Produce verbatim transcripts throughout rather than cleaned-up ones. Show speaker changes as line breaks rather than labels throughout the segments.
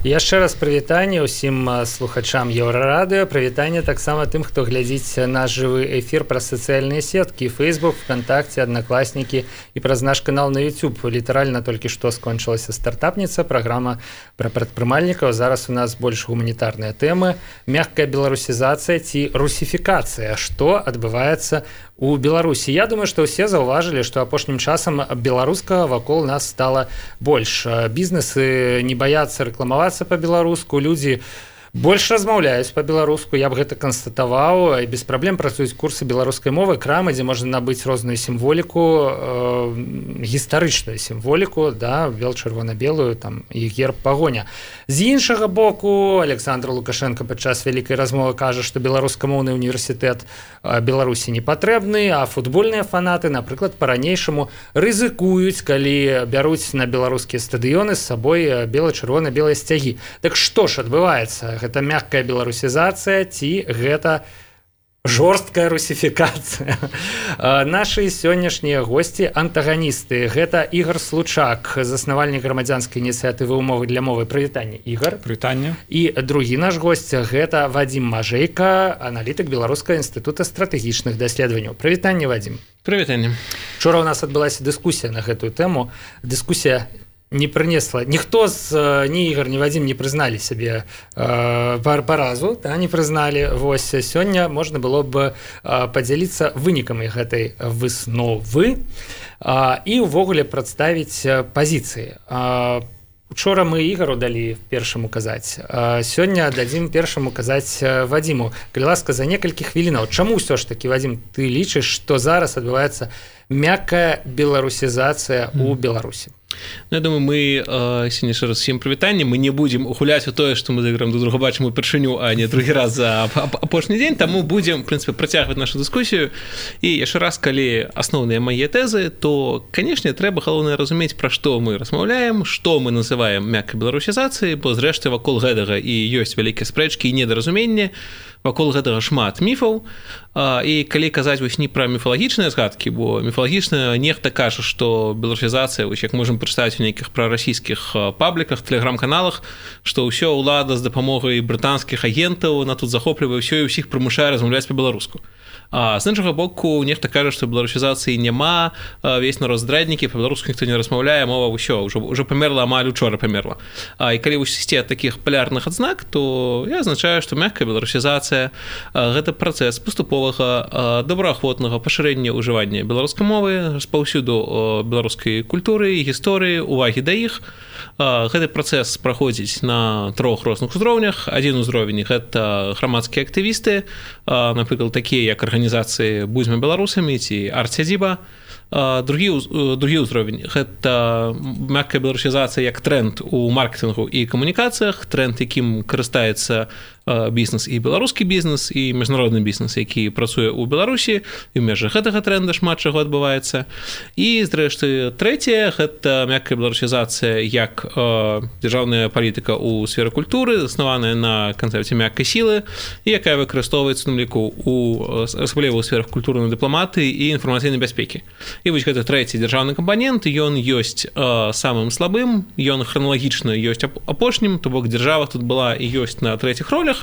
Яшчэ раз прывітанне ўсім слухачам Еўрарадыё, прывітанне таксама тым, хто глядзіць наш жывы эфір праз сацыяльныя сеткі, Facebook, ВКонтакте, Одноклассники і праз наш канал на YouTube. Літаральна толькі што скончылася стартапніца, праграма пра прадпрымальнікаў. Зараз у нас больш гуманітарныя тэмы. Мягкая беларусізацыя ці русіфікацыя. Што адбываецца у Беларусі? Я думаю, што ўсе заўважылі, што апошнім часам беларускага вакол нас стала больш. Бізнесы не баяцца рэкламавацца па-беларуску, людзі больш размаўляюць па-беларуску, я б гэта канстатаваў, і без праблем працуюць курсы беларускай мовы, крамы, дзе можна набыць розную сімволіку, э, гістарычную сімволіку, да, бел-чырвона-белую, там, і герб пагоня. З іншага боку, Александр Лукашенко падчас вялікай размовы кажа, што беларускамоўны універсітэт Беларусі не патрэбны, а футбольныя фанаты, напрыклад, па-ранейшаму рызыкуюць, калі бяруць на беларускія стадыёны з сабой бела-чырвона-белыя сцягі. Так што ж адбываецца? Гэта мягкая беларусізацыя ці гэта жорсткая русіфікацыя? Нашы сённяшнія госці антаганісты. Гэта Ігор Случак, заснавальнік грамадзянскай ініцыятывы «Умовы для мовы». Прывітанне, Ігор.
Прывітанне.
І другі наш госць гэта Вадзім Мажэйка, аналітык Беларускага інстытута стратэгічных даследаванняў. Прывітанне, Вадзім.
Прывітанне.
Учора у нас адбылася дыскусія на гэтую тэму. Дыскусія не прынесла, ніхто з ні Ігор, ні Вадзім не прызналі сябе э, паразу, да, не прызналі. Вось сёння можна было б э, падзяліцца вынікамі гэтай высновы э, і ўвогуле прадставіць пазіцыі. Э, Учора мы Ігару далі першаму казаць, а сёння дадзім першаму казаць Вадзіму. Калі ласка, за некалькі хвілінаў. Чаму ўсё ж такі, Вадзім, ты лічыш, што зараз адбываецца мяккая беларусізацыя ў Беларусі?
Ну, я думаю, мы э, сёння яшчэ раз всім прывітанне. Мы не будзем ухуляць у тое, што мы з Ігорам друг друга бачым упершыню, а не другі раз за апошні дзень, таму будзем, в прынцыпе, працягваць нашу дыскусію. І яшчэ раз, калі асноўныя мае тэзы, то, канешне, трэба галоўнае разумець, пра што мы размаўляем, што мы называем мяккай беларусізацыяй, бо зрэшты вакол гэтага і ёсць вялікія спрэчкі і недаразуменні. Вакол гэтага шмат міфаў, і калі казаць вось не пра міфалагічныя згадкі, бо міфалагічна нехта кажа, што беларусізацыя, вось як можам прачытаць у нейкіх прарасійскіх пабліках, тэлеграм-каналах, што ўсё ўлада з дапамогай брытанскіх агентаў на тут захоплівае ўсё і ўсіх прымушае размаўляць па-беларуску. А з іншага боку, нехта кажа, што беларусізацыі няма, весь народ здраднікі, па-беларуску ніхто не размаўляе, мова ўсё, ўжо, ўжо памерла, амаль учора памерла. А, і калі вось ісці ад такіх палярных адзнак, то я азначаю, што мяккая беларусізацыя – гэта працэс паступовага, добраахвотнага пашырэння ўжывання беларускай мовы, распаўсюду беларускай культуры, гісторыі, увагі да іх. Гэты працэс праходзіць на трох розных узроўнях. Адзін узровень – гэта грамадскія актывісты, напрыклад, такія як арганізацыі «Будзьма беларусамі» ці «Арт-Сядзіба». Другі, другі ўзровень – гэта мяккая беларусізацыя як тренд у маркетынгу і камунікацыях, тренд, якім карыстаецца бізнес і беларускі бізнес, і міжнародны бізнес, які працуе ў Беларусі, і ў межах гэтага тренда шмат чаго адбываецца. І, зрэшты, трэцяе – гэта мяккая беларусізацыя як э, дзяржаўная палітыка ў сферы культуры, заснаваная на канцэпце мяккай сілы, і якая выкарыстоўваецца, на ліку, у асабліва ў сферах культурнай дыпламатыі і інфармацыйнай бяспекі. І вось гэты трэці дзяржаўны кампанент, ён ёсць э, самым слабым, ён храналагічна ёсць апошнім, то бок дзяржава тут была і ёсць на трэціх ролях.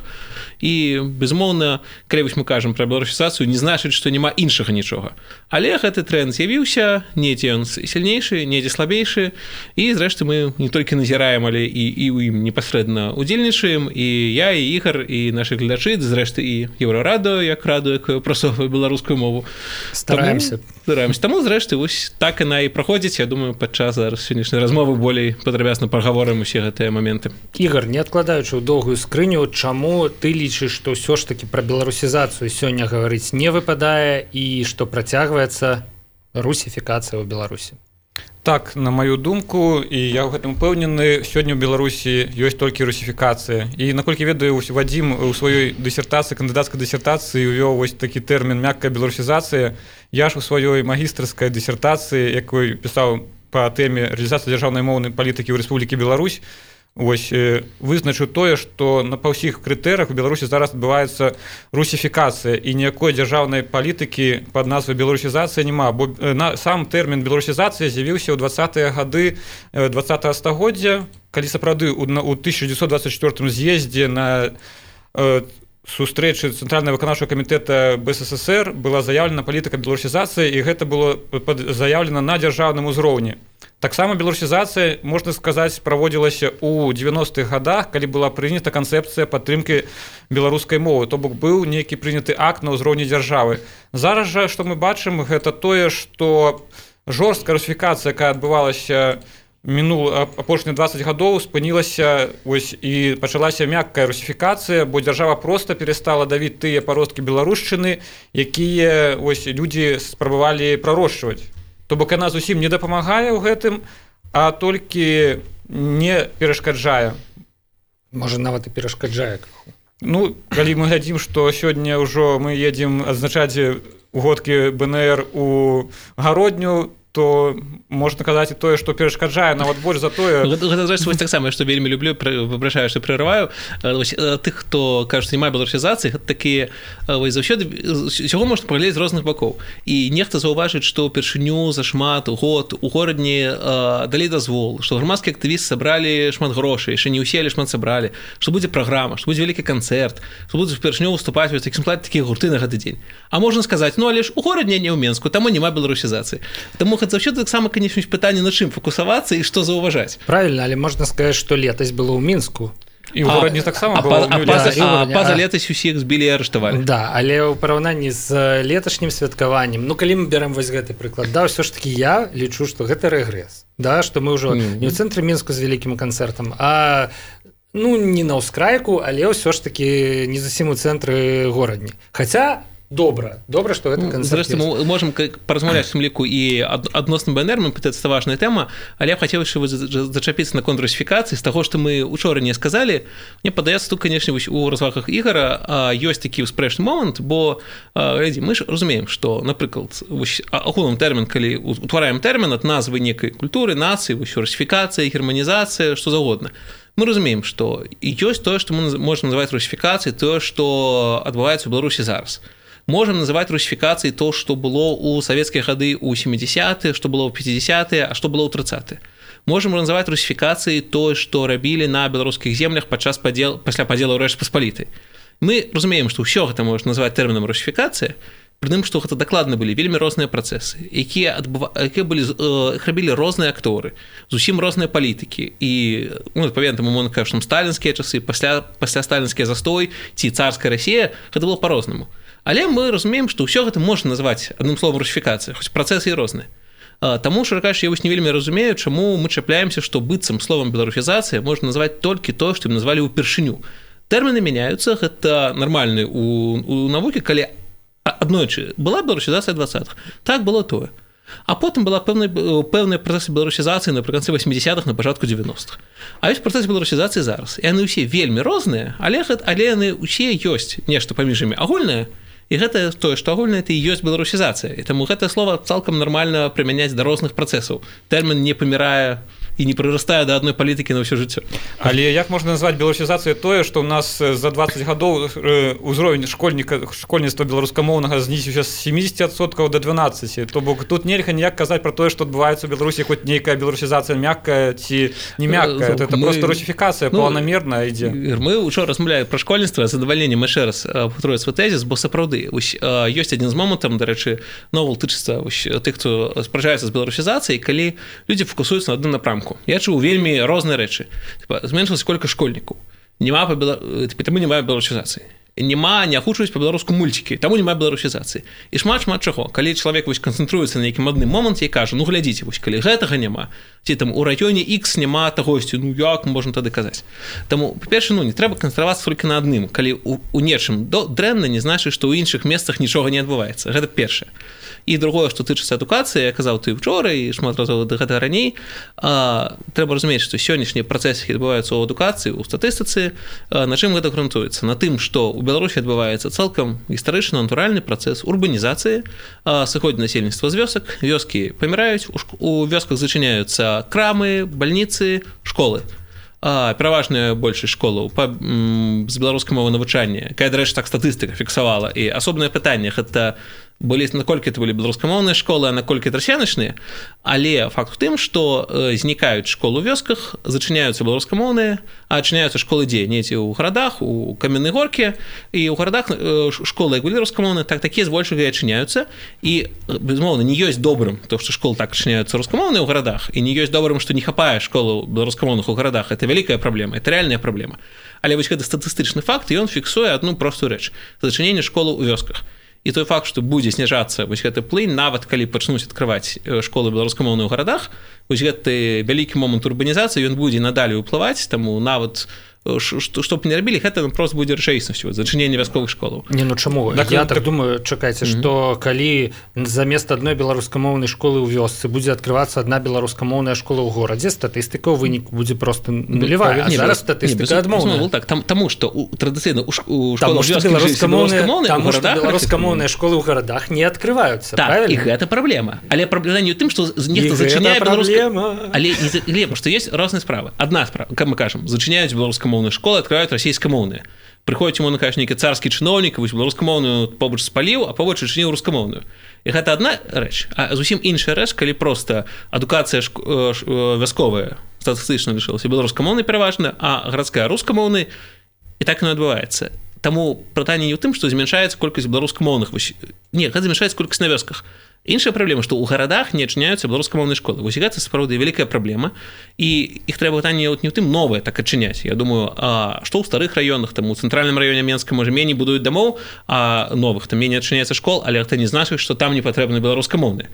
І, безумоўна, калі вось мы кажам пра беларусізацыю, не значыць, што няма іншага нічога. Але гэты тренд з'явіўся, недзе ён сильнейшы, недзе слабейшы, і, зрэшты, мы не толькі назіраем, але і, і ў ім непасрэдна удзельнічаем, і я, і Ігор, і нашы глядачы, зрэшты, і Еўрарадыё, як радыё, якое прасоўвае беларускую мову.
Стараемся.
Стараемся. Таму, зрэшты, вось так яна і праходзіць. Я думаю, падчас зараз сённяшняй размовы болей падрабязна прагаворым усе гэтыя моменты.
Ігор, не адкладаючы ў доўгую скрыню, чаму ты лічыш, што ўсё ж такі пра беларусізацыю сёння гаварыць не выпадае і што працягваецца русіфікацыя ў Беларусі?
Так, на маю думку, і я ў гэтым упэўнены, сёння ў Беларусі ёсць толькі русіфікацыя. І, наколькі ведаю, Вадзім у сваёй дысертацыі, кандыдацкай дысертацыі увёў вось такі тэрмін «мяккая беларусізацыя». Я ж у сваёй магістарскай дысертацыі, якой пісаў па тэме рэалізацыі дзяржаўнай моўнай палітыкі ў Рэспублікі Беларусь, вось вызначыў тое, што на па ўсіх крытэрыях у Беларусі зараз адбываецца русіфікацыя і ніякой дзяржаўнай палітыкі пад назвай беларусізацыя няма, бо на сам тэрмін беларусізацыя з'явіўся ў двадцатыя гады двадцатага стагоддзя, калі сапраўды ў тысяча дзевяцьсот двадцать чатырнаццатым з'ездзе на сустрэчы Цэнтральнага выканаўчага камітэта БССР была заяўлена палітыка беларусізацыі, і гэта было заяўлена на дзяржаўным узроўні. Таксама беларусізацыя, можна сказаць, праводзілася ў дзевяностых гадах, калі была прынята канцэпцыя падтрымкі беларускай мовы, то бок быў нейкі прыняты акт на ўзроўні дзяржавы. Зараз жа, што мы бачым, гэта тое, што жорсткая русіфікацыя, якая адбывалася мінул апошнія двадцать гадоў, спынілася ось, і пачалася мяккая русіфікацыя, бо дзяржава проста перастала давіць тыя паросткі беларушчыны, якія ось, людзі спрабавалі прарошчваць. То бок яна зусім не дапамагае ў гэтым, а толькі не перашкаджае.
Можа, нават і перашкаджае.
Ну, калі мы глядзім, што сёння ўжо мы едзем адзначаць угодкі БНР у гародню, то можна казаць і тое, што перашкаджае нават больш за тое.
Гэта вось таксама, што вельмі люблю, выбрашаю, што прерываю. Тых, хто кажа, што няма беларусізацыі, гэта такія заўсёды усяго можна паглядзець з розных бакоў. І нехта заўважыць, што ўпершыню за шмат год у горадні далі дазвол, што грамадскія актывісты сабралі шмат грошай, яшчэ не ўсе, але шмат сабралі, што будзе праграма, што будзе вялікі канцэрт, што будзе ўпершыню выступаць вось такім складзе такія гурты на гэты дзень. А можна сказаць, ну але ж у горадні, не ў Менску, таму няма беларусізацыі. Таму заўсёды таксама, канечне, пытанне, на чым фокусавацца і што заўважаць.
Правільна, але можна сказаць, што летась было ў Мінску.
І ў горадні таксама
было. А па-за летась усіх збілі і арыштавалі.
Да, але ў параўнанні з леташнім святкаваннем, ну калі мы берем вось гэты прыклад, да, ўсё ж такі я лічу, што гэта рэгрэс. Да, што мы ўжо mm-hmm. не ў цэнтры Мінску з вялікім канцэртам, а ну не на ўскрайку, але ўсё ж такі не зусім у цэнтры горадні. Хаця добра, добра, што гэта канцэрт.
Зрэшты, мы можам паразмаўляць у тым ліку і адносна БНР, мы пытаецца, гэта важная тэма, але я б хацеў яшчэ зачапіцца на конт русіфікацыі, з таго, што мы учора не сказалі. Мне падаецца, тут, канечне, у развагах Ігара ёсць такі ўспрэчны момант, бо глядзі, мы ж разумеем, што, напрыклад, агулам тэрмін, калі утвараем тэрмін ад назвы некай культуры, нацыі, русіфікацыя, германізацыя, што заўгодна. Мы разумеем, што ёсць тое, што мы можам называць русіфікацыяй, тое, што адбываецца ў Беларусі зараз. Можем называць русіфікацыяй то, што было ў савецкія гады ў сямідзясятыя, што было ў пяцідзясятыя, а што было ў трыццатыя. Можем называць русіфікацыяй тое, што рабілі на беларускіх землях падчас падзел, пасля падзелу Рэчы Паспалітай. Мы разумеем, што ўсё гэта можна назваць тэрмінам русіфікацыя, пры тым, што гэта дакладна былі вельмі розныя працэсы, якія, адбыва... якія былі, іх рабілі розныя акторы, зусім розныя палітыкі. І, ну, адпаведна, мы можна кажа, што сталінскія часы, пасля, пасля сталінскі застой ці царская Расія, гэта было па-рознаму. Але мы разумеем, што ўсё гэта можна назваць адным словам русіфікацыя, хоць працэсы і розныя. Таму, шчыра кажучы, я вось не вельмі разумею, чаму мы чапляемся, што быццам словам беларусізацыя можна назваць толькі тое, што ім назвалі ўпершыню. Тэрміны мяняюцца, гэта нармальны у, у навукі, калі аднойчы была беларусізацыя двадцатых. Так было тое. А потым была пэўная, пэўная працэс беларусізацыі напрыканцы васьмідзясятых, на пачатку дзевяностых. А ёсць працэс беларусізацыі зараз. І яны ўсе вельмі розныя, але, але яны ўсе ёсць нешта паміж імі агульнае. І гэта тое, што агульна, это і ёсць беларусізацыя. І таму гэтае слова цалкам нармальна прымяняць да розных працэсаў. Тэрмін не памірае і не прырастае да адной палітыкі на ўсё жыццё.
Але як можна назваць беларусізацыяй тое, што ў нас за двадцать гадоў узровень школьніка, школьніцтва беларускамоўнага знізіўся з семидесяти адсоткаў да дванаццаці. То бок тут нельга ніяк казаць пра тое, што адбываецца ў Беларусі хоць нейкая беларусізацыя мяккая ці не мяккая. Это мы... просто русіфікацыя ну, планамерная ідзе.
Мы ўчора размаўлялі пра школьніцтва, з задавальненнем яшчэ раз паўторюю свой тэзіс, бо сапраўды ёсць адзін з момантаў, дарэчы, новел тычыцца тых, хто спрачаецца з беларусізацыяй, калі людзі фокусуюцца на адным напрамку. Я чуў вельмі розныя рэчы. Зменшылася колькасць школьнікаў. Нема па бела... таму няма беларусізацыі. Нема, не агучваюць па-беларуску мульцікі, таму няма беларусізацыі. І шмат-шмат чаго. Калі чалавек вось канцэнтруецца на нейкім адным моманце і кажа, ну глядзіце, вось калі гэтага няма, ці там у раёне X няма тагосьці, ну як можна тады казаць. Таму, па-перше, ну не трэба канцэнтравацца толькі на адным. Калі у, у нечым дрэнна, не значыць, што ў іншых месцах нічога не адбываецца. Гэта першае. І другое, што тычыцца адукацыі, я казаў ты учора і шмат разоў да гэтага раней, а, трэба разумець, што сённяшнія працэсы адбываюцца ў адукацыі, у статыстыцы, а, на чым гэта грунтуецца? На тым, што ў Беларусі адбываецца цалкам гістарычна натуральны працэс урбанізацыі, а, сыходзі насельніцтва з вёсак, вёскі паміраюць, у, у вёсках зачыняюцца крамы, бальніцы, школы. пераважная большасць школаў па, м, з беларускай мовы навучання, якая, дарэчы, так статыстыка фіксавала. І асобнае пытанне – гэта былі, наколькі это былі беларускамоўныя школы, а наколькі трасяначныя, але факт у тым, што знікаюць школы ў вёсках, зачыняюцца беларускамоўныя, а адчыняюцца школы дзе? Недзе ў гарадах, у Каменнай Горкі, і ў гарадах школы, як былі рускамоўныя, так такія збольшага і адчыняюцца. І, безумоўна, не ёсць добрым то, што школы так адчыняюцца рускамоўныя ў гарадах, і не ёсць добрым, што не хапае школаў беларускамоўных у гарадах. Это вялікая праблема, это рэальная праблема. Але вось гэты статыстычны факт, і ён фіксуе адну простую рэч – зачыненне школаў у вёсках. І той факт, што будзе зніжацца вось гэты плынь, нават калі пачнуць адкрываць школы беларускамоўныя ў гарадах, вось гэты вялікі момант урбанізацыі, ён будзе надалей уплываць, таму нават што б не рабілі, гэта просто будзе рэчаіснасцю, зачыненне вясковых школаў.
Не, ну чаму? Так, я так, так думаю, чакайце, mm-hmm. што калі замест адной беларускамоўнай школы ў вёсцы будзе адкрывацца адна беларускамоўная школа ў горадзе, статыстыка ў выніку будзе просто нулявая, а не, зараз статыстыка адмоўная.
Так, там, таму, што традыцыйна ў школах
беларускамоўныя беларускамоўныя школы ў гарадах не адкрываюцца,
так, правильно? І гэта праблема. Але праблема не ў тым, што нехта зачыняе беларускамоўную... Але, але што ёсць розныя справы. Адна справа, как мы кажам, зачыняюць беларускамоўную школы, открывают расійскамоўныя. Прыходзіць ему на кажа нейкі царскі чыноўнік, вось беларускамоўную побач спаліў, а побач адчыніў рускамоўную. І гэта адна рэч, а зусім іншая рэч, калі проста адукацыя шк... вясковая статыстычна лишылася беларускамоўнай пераважна, а гарадская рускамоўнай, і так яно адбываецца. Таму пытанне не ў тым, што змяншаецца колькасць беларускамоўных, вось... не, гэта змяншаецца колькасць на вёсках. Іншая праблема, што ў гарадах не адчыняюцца беларускамоўныя школы. Вось гэта сапраўды вялікая праблема, і іх трэба пытанне не ў тым новае так адчыняць. Я думаю, а што ў старых раёнах, там у цэнтральным раёне Менска можа меней будуюць дамоў, а новых там меней адчыняецца школ, але гэта не значыць, што там не патрэбны беларускамоўныя.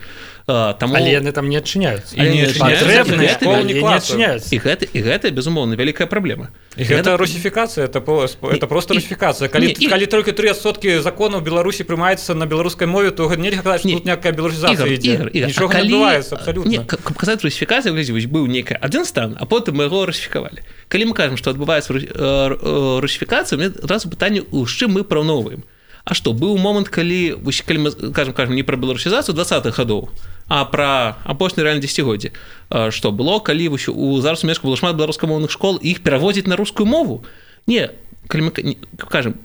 Таму...
Але яны там не адчыняюцца.
Але не
патрэбныя школы не адчыняюцца.
І гэта, і гэта безумоўна вялікая праблема.
І гэта русіфікацыя, это, это просто русіфікацыя. Калі, не, калі і... толькі тры адсоткі законаў Беларусі прымаецца на беларускай мове, то нельга казаць, што тут някакая беларусізацыя ідзе. Нічога не адбываецца абсалютна. Не,
каб казаць русіфікацыя, вось быў нейкі адзін стан, а потым мы яго русіфікавалі. Калі мы кажам, што адбываецца русіфікацыя, у мяне адразу пытанне, з чым мы параўноўваем. А што, быў момант, калі, калі мы кажам, кажам не пра беларусізацыю двадцатых гадоў, а пра апошні рэальна дзесяцігоддзі. Што было, калі у зараз у Менску было шмат беларускамоўных школ, і іх пераводзіць на рускую мову? Не, калі мы кажам,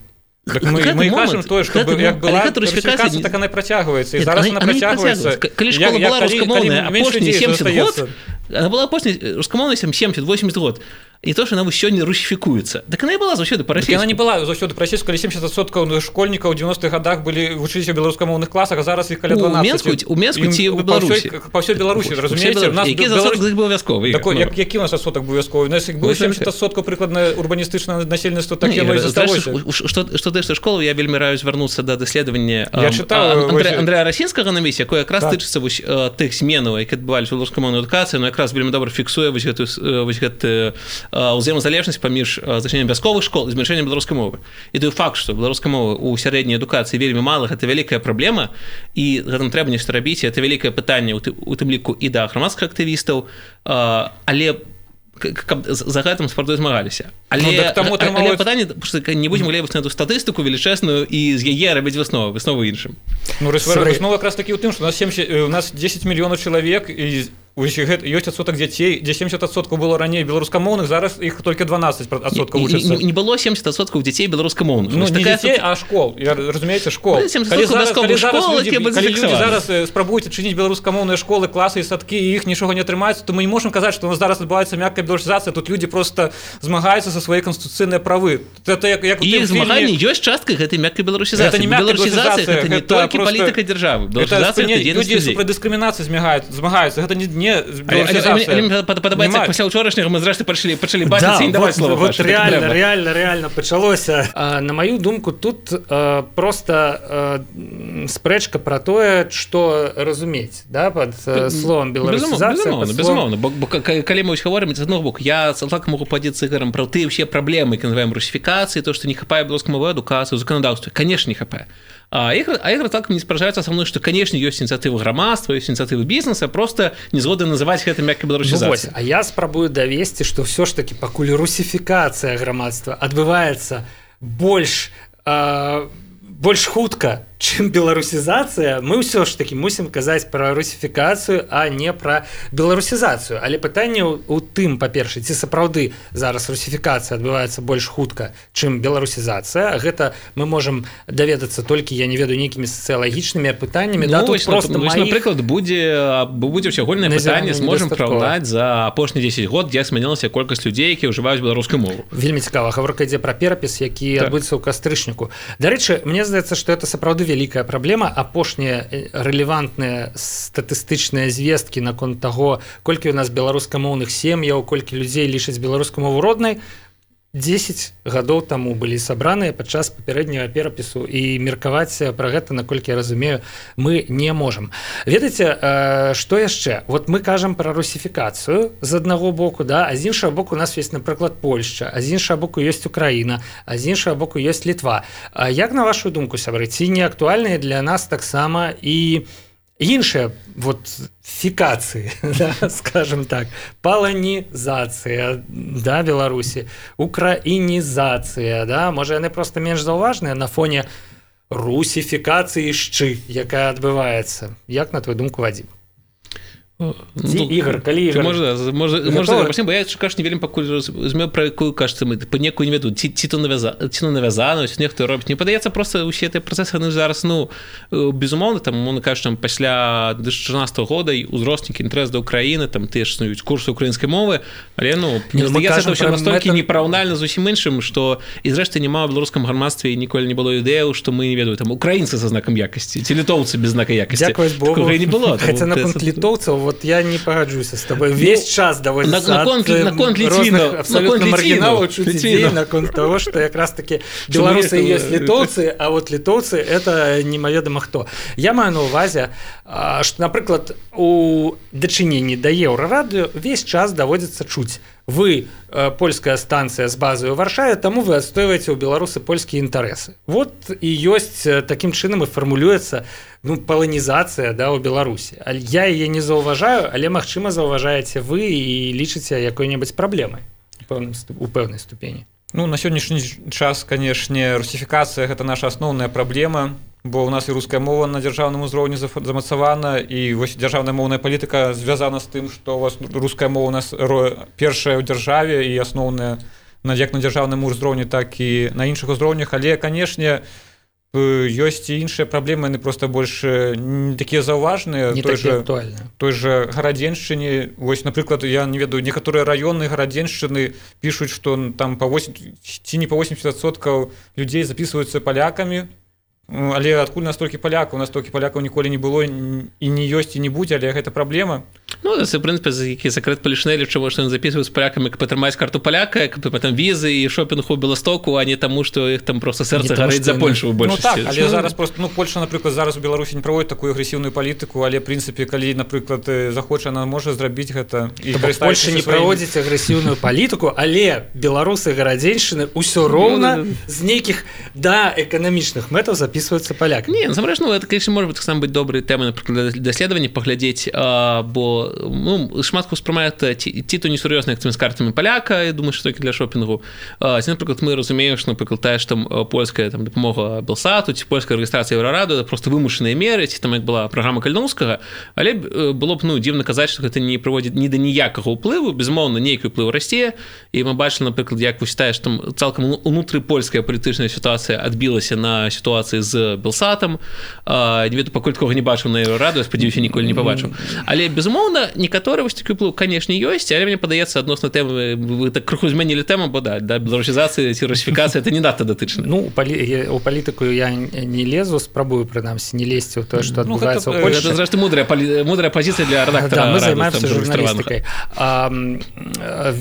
так мы, мы кажам тое, што як была русіфікацыя, так она працягваецца, і зараз она працягваецца.
Калі школа была рускамоўная апошні сямдзесят год, она была апошняй рускамоўнай семьдесят-восемьдесят год. І то, што яна сёння русіфікуецца. Так яна і была заўсёды па-расійску.
Яна не была заўсёды па-расійску, калі семьдесят адсоткаў школьнікаў у девяностых гадах былі вучыліся ў беларускамоўных класах, а зараз іх каля дванаццаць.
У Менску ці ў Беларусі?
Па ўсёй Беларусі, разумееце?
Які адсотак з іх быў вясковы?
Які у нас адсотак быў вясковы? У нас быў семьдесят адсоткаў прыкладна урбаністычнае насельніцтва, так яно і засталося.
Што тыя, што школу, я вельмі раю звярнуцца да даследавання
Андрэя
Расінскага на місці, якое якраз тычыцца тых зменаў, які адбываліся ў беларускамоўнай адукацыі, но якраз вельмі добра фіксуе вось гэты ўзаемазалежнасць паміж зачыненнем вясковых школ і змяншэннем беларускай мовы. І той факт, што беларускай мовы ў сярэдняй адукацыі вельмі мала, гэта вялікая праблема, і гэтым трэба нешта рабіць, і гэта вялікае пытанне у тым ліку і да грамадскіх актывістаў, але каб за гэтым спарту змагаліся. Але, ну, так але трамалось... пытанне, што не будзем глебіць на эту статыстыку велічэзную і з яе рабіць высновы, высновы іншым.
Ну, выснова якраз такі ў тым, што у нас, семьдесят, у нас десять мільёнаў чалавек, і ёсць адсотак дзяцей, дзе семьдесят адсоткаў было раней беларускамоўных, зараз іх толькі дванаццаць адсоткаў вучацца.
Не, не было семьдесят адсоткаў дзяцей беларускамоўных.
Ну, не дзяцей, а школ. Разумееце, школ.
Калі зараз, калі зараз, школ,
людзі, калі людзі зараз спрабуюць адчыніць беларускамоўныя школы, класы і садкі, і іх нічога не атрымаецца, то мы не можам казаць, што у нас зараз адбываецца мяккая беларусізацыя, тут людзі проста змагаюцца за свае канстытуцыйныя правы.
Это як, як і іх змаганне ёсць частка гэтай мяккай беларусізацыі.
Гэта не мяккая беларусізацыя,
гэта не толькі палітыка дзяржавы. Беларусізацыя гэта дзейнасць людзей.
Людзі супраць дыскрымінацыі змагаюцца. Гэта не беларусізацыя.
Мне падабаецца, пасля ўчорашняга мы зрэшты пачалі пачалі бачыць і даваць слова.
Вот реально, реально, реально пачалося. На маю думку, тут просто спрэчка пра тое, што разумець, да, пад словом беларусізацыя.
Безумоўна, бо калі мы гаворым з аднаго боку, я цалкам могу падзецца ігорам пра тыя ўсе праблемы, які называем русіфікацыі, то, што не хапае беларускай мовы адукацыі, заканадаўства. Канешне, не хапае. А ігры так не спражаюцца са мной, што, канешне, ёсць ініцыятывы грамадства, ёсць ініцыятывы бізнеса, проста не згоды называць гэта мяккай беларусізацыяй.
Ну, а я спрабую давесці, што ўсё ж такі пакуль русіфікацыя грамадства адбываецца больш, э, больш хутка, чым беларусізацыя, мы ўсё ж таки мусім казаць пра русіфікацыю, а не пра беларусізацыю. Але пытанне ў тым, па-першае, ці сапраўды зараз русіфікацыя адбываецца больш хутка, чым беларусізацыя. Гэта мы можам даведацца толькі, я не ведаю, нейкімі сацыялагічнымі пытаннямі.
Ну,
да,
вось,
просто
вось,
маіх...
напрыклад, будзе будзе ўсеагульнае пытанне, зможам параўнаць за апошнія дзесяць год, як змянілася колькасць людзей, якія ўжываюць беларускую мову.
Вельмі цікава, гаворка ідзе пра перапіс, які так. адбудзецца ў кастрычніку. Дарэчы, мне здаецца, што это сапраўды вялікая праблема. Апошнія рэлевантныя статыстычныя звесткі наконт таго, колькі ў нас беларускамоўных сем'яў, колькі людзей лічаць беларускую мову роднай, дзесяць гадоў таму былі сабраныя падчас папярэдняга перапісу, і меркаваць пра гэта, наколькі я разумею, мы не можам. Ведаеце, што яшчэ? Вот мы кажам пра русіфікацыю з аднаго боку, да, а з іншага боку у нас ёсць, напрыклад, Польшча, а з іншага боку ёсць Украіна, а з іншага боку ёсць Літва. Як на вашу думку, сябры, ці не актуальныя для нас таксама і іншыя вот фікацыі, да, скажем так, паланізацыя, да, Беларусі, украінізацыя, да, можа яны проста менш заўважныя на фоне русіфікацыі шчы, якая адбываецца. Як на твою думку, Вадзім?
Ну,
Ігор, калі Ігор...
Можна, можна, можна запрасім, бо я кажу, не вельмі пакуль разумею, пра якую кажется мы, па некую не веду, ці, ці то навязано, ці нехто робіць. Мне падаецца, просто усе гэтыя працэсы, яны зараз, ну, безумоўна, там, мовно кажучи, там, пасля две тысячи чатырнаццатага года узроснікі інтарэс да Украіны, там, тыя ж існуюць курсы украінскай мовы, але, ну, мне здаецца, это ўсё настолькі мета... непараўнальна з усім іншым, што, і зрэшты, няма ў беларускам грамадстве і ніколі не было ідэяў, што мы не ведаю, там, украінцы са знакам якасці, ці літоўцы без знака якасці.
Дзякуй Богу.
Такога не было.
Хаця наконт літоўцаў, вот я не пагаджуся з тобой. Весь час даводзіцца
на, на, на, на
розных абсолютно маргіналаў чуць ідзей наконт того, што якраз таки беларусы ёсць літоўцы, а вот літоўцы это немаведама хто. Я маю на увазе, што, напрыклад, у дачыненні да Еўрарадыё весь час даводзіцца чуць: вы э, польская станцыя з базай у Варшаве, таму вы адстойваеце ў беларусы польскія інтарэсы. Вот і ёсць такім чынам і фармулюецца, ну, паланізацыя, да, ў Беларусі. Я яе не заўважаю, але, магчыма, заўважаеце вы і лічыце якой-небудзь праблемай у пэўнай ступені.
Ну, на сённяшні час, канешне, русіфікацыя — гэта наша асноўная праблема, бо ў нас і руская мова на дзяржаўным узроўні замацавана, і вось дзяржаўная моўная палітыка звязана з тым, што у вас руская мова у нас першая ў дзяржаве і асноўная як на дзяржаўным узроўні, так і на іншых узроўнях. Але, канешне, ёсць і іншыя праблемы, яны проста больш не такія заўважныя.
Не такія актуальныя.
Той жа Гарадзеншчыне, вось, напрыклад, я не ведаю, некаторыя раёны Гарадзеншчыны пішуць, што там па восемьдесят ці не па восемьдесят адсоткаў людзей запісваюцца палякамі. Але адкуль настолькі палякаў, настолькі палякаў ніколі не было і не ёсць і не будзе, але гэта праблема.
Ну, це, в принципі, які секрет Полішинелі, чому що вони записують з поляками, каб атрымаць карту поляка, каб потім візи і шопінг у Белостоку, а не тому, що їх там просто серце горить за Польшу в більшості.
Ну так, але зараз просто, ну, Польща, наприклад, зараз у Білорусі не проводить таку агресивну політику, але, в принципі, коли, наприклад, захоче, вона може зробити це.
Тобто Польща не своїм... проводить агресивну політику, але білоруси Гарадзеншчыны ўсё роўна з нейкіх, да, эканамічных мэтаў записываюцца поляки.
Не, насамрэч, ну, это, конечно, может быть, сам быть доброй темой, например, для даследавання паглядзець, а, бо, ну, шмат хто сприймає ті, ті то несур'ёзно, як цими з картами поляка, я думаю, що тільки для шопінгу. А, ці, наприклад, ми розуміємо, що, наприклад, те, що там польська там, допомога Белсату, ці польська реєстрація Єврораду, це просто вимушені міри, ці там, як була програма Кальновського, але було б, ну, дивно казати, що це не проводить ні до ніякого впливу, безумовно, ніякий вплив росте, і ми бачили, наприклад, як ви вважаєте, що там цілком внутріпольська політична ситуація відбилася на ситуації з Белсатом. А, не веду, поки такого не бачив на Єврораду, я сподіваюся, ніколи не побачив. Але, безумовно, некоторі ось такі вплив, звісно, є, але мені подається, відносно теми, ви так криху змінили тему, бо да, да, білорусізація, ці русифікація, це не надто дотично.
Ну, у, полі... у політику я не лезу, спробую, принаймні, не лезть у те, що відбувається
ну,
у Польщі.
Це, зрештою, мудрая, полі... мудрая позиція для редактора.
Да, ми займаємося журналістикою. А,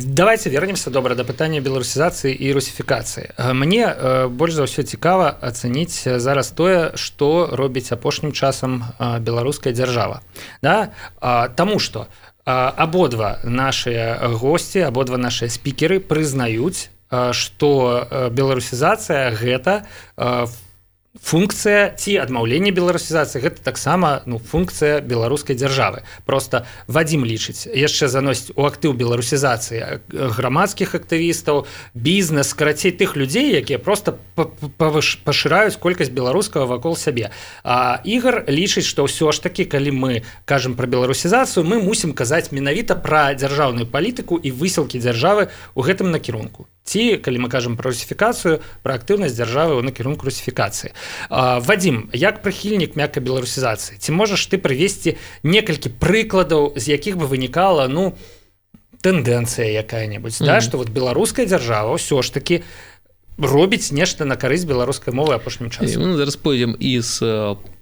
давайте вернемся, добре, до питання білорусізації і русифікації. Мені більш за все цікаво оцінити зараз те, що робить апошнім часом білоруська держава. Да? Тому що абодва наши гости, абодва наши спикеры прызнаюць, што беларусізацыя гэта функцыя ці адмаўленне беларусізацыі гэта таксама ну функцыя беларускай дзяржавы. Просто Вадзім лічыць яшчэ заносіць у актыў беларусізацыі грамадскіх актывістаў, бізнес, карацей тых людзей, якія просто пашыраюць колькасць беларускага вакол сябе. А Ігор лічыць, што ўсё ж такі калі мы кажам пра беларусізацыю, мы мусім казаць менавіта пра дзяржаўную палітыку і высілкі дзяржавы ў гэтым накірунку. Ці, калі мы кажам пра русіфікацыю, пра актыўнасць дзяржавы ў накірунку русіфікацыі. Вадзім, як прыхільнік мяккай беларусізацыі, ці можаш ты прывесці некалькі прыкладаў, з якіх бы вынікала ну тэндэнцыя якая-небудзь, mm-hmm. да, што вот беларуская дзяржава ўсё ж такі робіць нешта на карысць беларускай мовы апошнім часам.
Мы зараз пойдзем і з,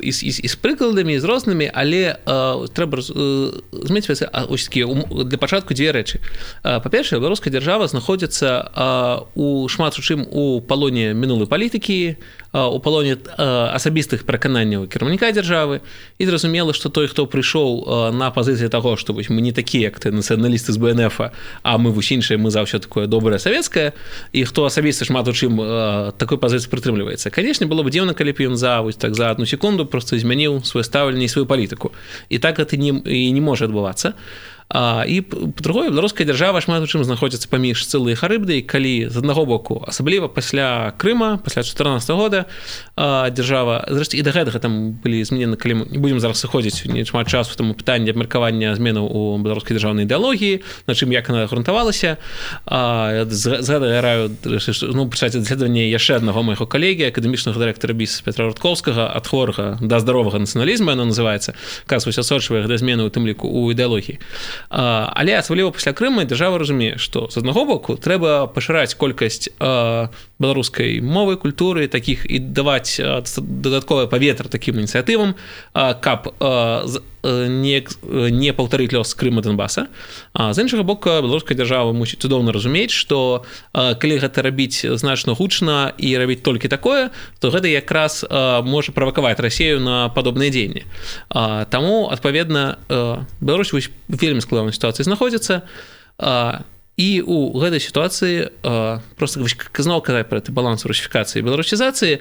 і, з, і з прыкладамі, з рознымі, але э, трэба змець для пачатку дзве рэчы. Па-першае, беларуская дзяржава знаходзіцца э, у шмат у чым у палоне мінулай палітыкі, у палоне асабістых перакананняў кіраўніка дзяржавы, і зразумела, што той, хто прыйшоў на пазіцыі таго, што вось, мы не такія, як ты нацыяналісты з Бэ Эн Эфа, а мы вось іншыя, мы заўсёды такое добрае савецкае, і хто асабіста шмат у чым такой пазіцыі прытрымліваецца. Канешне, было б дзіўна, калі б ён за вось так за одну секунду просто змяніў сваё стаўленне і сваю палітыку. І так гэта не, і не можа адбывацца. А, і па-другое, беларуская дзяржава шмат у чым знаходзіцца паміж Сцылай і Харыбдай, калі з аднаго боку, асабліва пасля Крыма, пасля чатырнаццатага года, а, дзяржава, зрэшты, і да гэтага там былі зменены, калі мы не будзем зараз сыходзіць не шмат часу, таму пытанне абмеркавання зменаў у беларускай дзяржаўнай ідэалогіі, на чым як яна грунтавалася. А, з, з гэтага я раю ну, пачаць даследаванне яшчэ аднаго майго калегі, акадэмічнага дырэктара БІС Петра Рудкоўскага, ад хворага да здаровага нацыяналізму, яно называецца, касваць асочвае гэтыя змены ў тым ліку ў ідэалогіі. Але асабліва пасля Крыма дзяржава разумее, што з аднаго боку трэба пашыраць колькасць беларускай мовы, культуры, такіх і даваць дадатковае паветра такім ініцыятывам, каб не, не паўтарыць лёс Крыма Донбаса. А з іншага боку, беларуская дзяржава мусіць цудоўна разумець, што калі гэта рабіць значна гучна і рабіць толькі такое, то гэта якраз можа правакаваць Расію на падобныя дзеянні. Таму, адпаведна, Беларусь вельмі складанай сітуацыі знаходзіцца, і ў гэтай сітуацыі просто зноў казаць пра гэты баланс русіфікацыі і беларусізацыі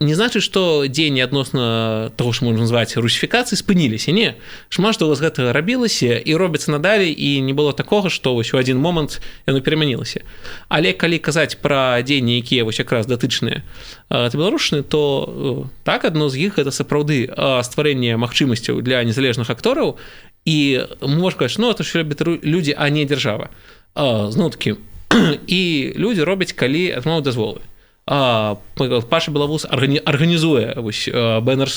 не значыць, што дзеянні адносна таго, што можна назваць русіфікацыі, спыніліся. Не. Шмат што ў вас гэта рабілася і робіцца надалей, і не было такога, што вось у адзін момант яно перамянілася. Але калі казаць пра дзеянні, якія вось якраз датычныя да беларушчыны, то так, адно з іх гэта сапраўды стварэнне магчымасцяў для незалежных актораў. І мы можем сказаць, ну, это ж робяць людзі, а не дзяржава. Зноў-такі, і людзі робяць, калі атрымаюць дазволы. Паша Белавус арганізуе Бэ Эн Эр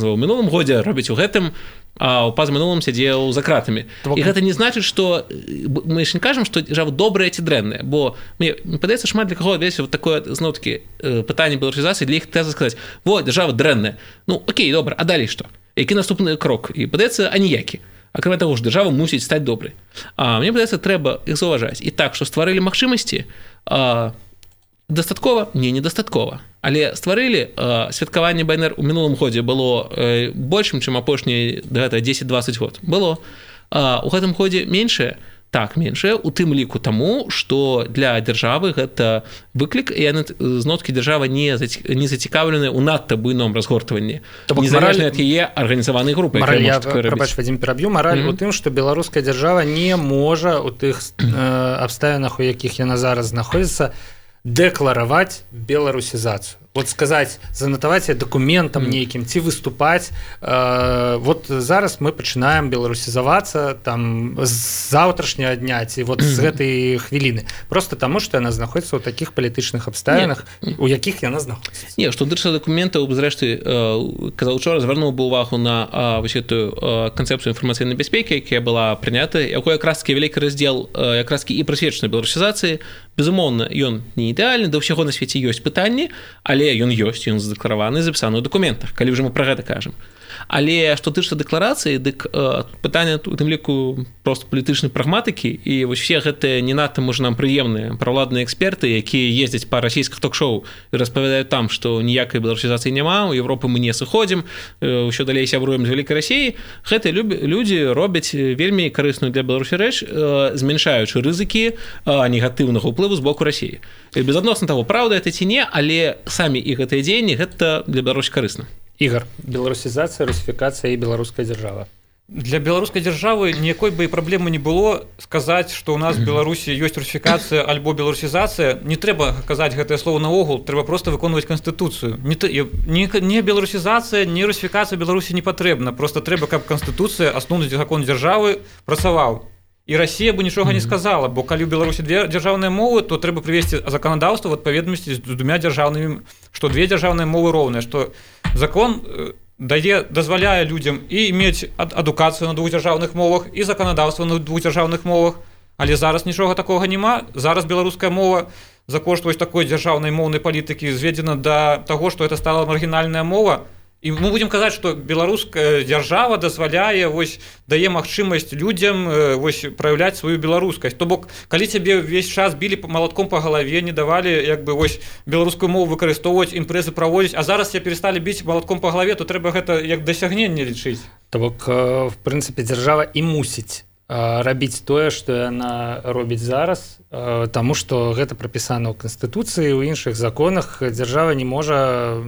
у мінулым годзе, робіць у гэтым, а ў пазамінулым сядзеў за кратамі. І гэта не значыць, што мы ж не кажам, што дзяржава добрая ці дрэнная, бо мне падаецца, шмат для каго адвесці вот такое, зноў-такі, пытанне беларусізацыі, для іх тэза сказаць: во, дзяржава дрэнная. Ну, окей, добра, а далей што? Які наступны крок? І падаецца, аніякі. Акрамя таго ж, дзяржава мусіць стаць добрай. А мне падаецца, трэба іх заўважаць. І так, што стварылі магчымасці, дастаткова? Не, недастаткова. Але стварылі святкаванне Бэ Эн Эр у мінулым годзе было большым, чым апошні дзесяць-дваццаць год. Было. У гэтым годзе меншае? Так, меншае, у тым ліку таму, што для дзяржавы гэта выклік, і яны зноткі дзяржава не зацікаўлены ў надта буйном разгортванні. Незалежна ад яе арганізаванай групы.
Мараль, я, прабач, Вадзім, пераб'ю. Мараль mm-hmm. у тым, што беларуская дзяржава не можа у тых э, абставінах, у якіх яна зараз знаходзіцца, дэклараваць беларусізацыю. Вот сказаць, занатаваць дакументам нейкім, ці выступаць. Э, вот зараз мы пачынаем беларусізавацца там з заўтрашняга дня, ці вот з гэтай хвіліны. Просто таму, што яна знаходзіцца ў такіх палітычных абставінах, у якіх яна знаходзіцца.
Не, што датычыцца дакументаў, зрэшты, казаў учора, звярнуў бы ўвагу на вось гэтую канцэпцыю інфармацыйнай бяспекі, якая была прынята, якой якраз-такі вялікі раздзел якраз-такі і прысвечаны беларусізацыі. Безумоўна, ён не ідэальны, да ўсяго на свеце ёсць пытанні, але ён ёсць, ён задэклараваны, запісаны ў дакументах, калі ўжо мы пра гэта кажам. Але што тычыцца дэкларацыі, дык э, пытанне у тым ліку просто палітычнай прагматыкі, і вось все гэтыя не надта можа нам прыемныя правладныя эксперты, якія ездзяць па расійскіх ток-шоу і распавядаюць там, што ніякай беларусізацыі няма, у Европы мы не сыходзім, ўсё далей сябруем з вялікай Расіі. Гэтыя людзі робяць вельмі карысную для Беларусі рэч, змяншаючы рызыкі негатыўнага ўплыву з боку Расіі. Безадносна таго, праўда это ці не, але самі і гэтыя дзеянні гэта для Беларусі карысна.
Ігор, беларусізацыя, русіфікацыя і беларуская дзяржава.
Для беларускай дзяржавы ніякой бы і праблемы не было сказаць, што ў нас в Беларусі ёсць русіфікацыя альбо беларусізацыя. Не трэба казаць гэтае слово наогул, трэба проста выконваць канстытуцыю. Не, не, не беларусізацыя, не русіфікацыя Беларусі не патрэбна. Проста трэба, каб канстытуцыя, асноўны закон дзяржавы працаваў. І Расія бы нічога не сказала, бо калі ў Беларусі две дзяржаўныя мовы, то трэба прывесці заканадаўства ў адпаведнасці з двумя дзяржаўнымі, што две дзяржаўныя мовы роўныя, што закон дае, дазваляе людзям і мець адукацыю на двух дзяржаўных мовах і заканадаўства на двух дзяржаўных мовах, але зараз нічога такога няма. Зараз беларуская мова за кошт вось такой дзяржаўнай моўнай палітыкі зведзена да таго, што это стала маргінальная мова. І мы будзем казаць, што беларуская дзяржава дазваляе, вось, дае магчымасць людзям вось, праяўляць сваю беларускасць. То бок, калі цябе ўвесь час білі малатком па галаве, не давалі як бы, вось, беларускую мову выкарыстоўваць, імпрэзы праводзіць, а зараз цябе перасталі біць малатком па галаве, то трэба гэта як дасягненне лічыць.
То бок, в прынцыпе, дзяржава і мусіць рабіць тое, што яна робіць зараз, таму што гэта прапісана ў Канстытуцыі, у іншых законах. Дзяржава не можа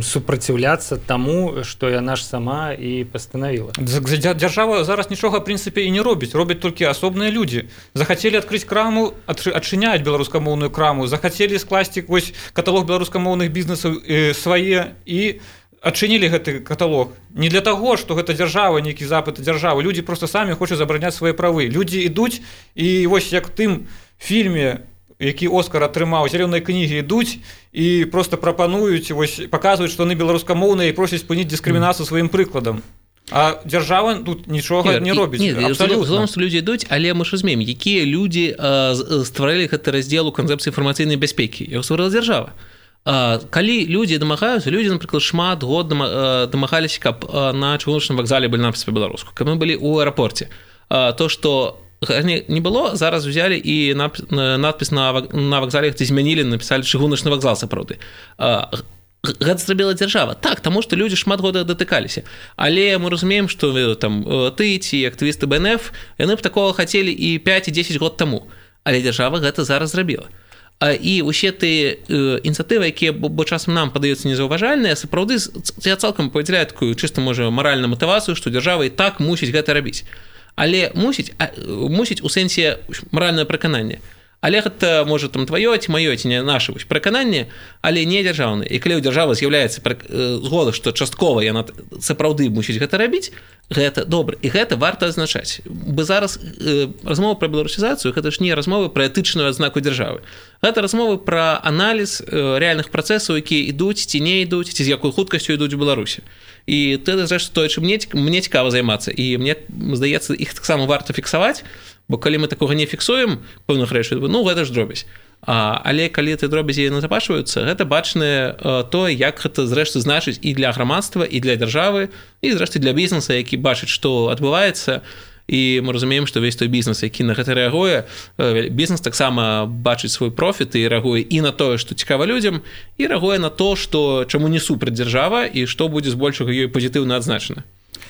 супраціўляцца таму, што яна ж сама і пастанавіла.
Дзяржава зараз нічога, в прынцыпе, і не робіць. Робяць толькі асобныя людзі. Захацелі адкрыць краму, адчыняюць беларускамоўную краму, захацелі скласці вось каталог беларускамоўных бізнесаў свае і адчынілі гэты каталог. Не для таго, што гэта дзяржава, нейкі запыт дзяржавы. Людзі проста самі хочуць забараняць свае правы. Людзі ідуць, і вось як тым фільме, які Оскар атрымаў, зялёныя кнігі, ідуць і проста прапануюць, вось, паказваюць, што яны беларускамоўныя і просяць спыніць дыскрымінацыю сваім прыкладам. А дзяржава тут нічога не робіць.
Не, абсолютно, што людзі ідуць, але мы ж разумеем, якія людзі стваралі гэты раздзел у канцэпцыі інфармацыйнай бяспекі. Яго стварыла дзяржава. Калі людзі дамагаюцца, людзі, напрыклад, шмат год дамагаліся, каб на чыгуначным вакзале былі надпісы па-беларуску, каб мы былі ў аэрапорце. То, што не было, зараз узялі і надпіс на вакзале, где змянілі, напісалі чыгуначны вакзал сапраўды. Гэта зрабіла дзяржава. Так, таму што людзі шмат года датыкаліся. Але мы разумеем, што там ты ці актывісты бэ эн эф, яны б такога хацелі і пяць і дзесяць год таму. Але дзяржава гэта зараз зрабіла. І ўсе тыя ініцыятывы, якія бо часам нам падаюцца незаўважальныя, сапраўды я цалкам падзяляю такую чыста, можа, маральную матывацыю, што дзяржава і так мусіць гэта рабіць. Але мусіць, мусіць у сэнсе маральнае перакананне. Але гэта, можа, там тваё ці маё, ці не наша перакананне, але не дзяржаўнае. І калі ў дзяржавы з'яўляецца згода, што часткова яна сапраўды мусіць гэта рабіць, гэта добра. І гэта варта адзначаць. Бо зараз размова пра беларусізацыю, гэта ж не размовы пра этычную адзнаку дзяржавы. Гэта размовы пра аналіз рэальных працэсаў, якія ідуць ці не ідуць, ці з якой хуткасцю ідуць у Беларусі. І ты зрэшты тое, чым мне, мне цікава займацца. І мне здаецца, іх таксама варта фіксаваць, бо калі мы такога не фіксуем пэўных рэчаў, ну гэта ж дробязь. А, але калі ты дробязі назапашваюцца, гэта бачнае тое, як гэта зрэшты значыць і для грамадства, і для дзяржавы, і зрэшты для бізнеса, які бачыць, што адбываецца. І мы разумеем, што весь той бізнес, які на гэта рэагуе, бізнес таксама бачыць свой профіт і рэагуе і на тое, што цікава людзям, і рэагуе на то, што чаму не супраць дзяржава і што будзе збольшага ёй пазітыўна адзначана.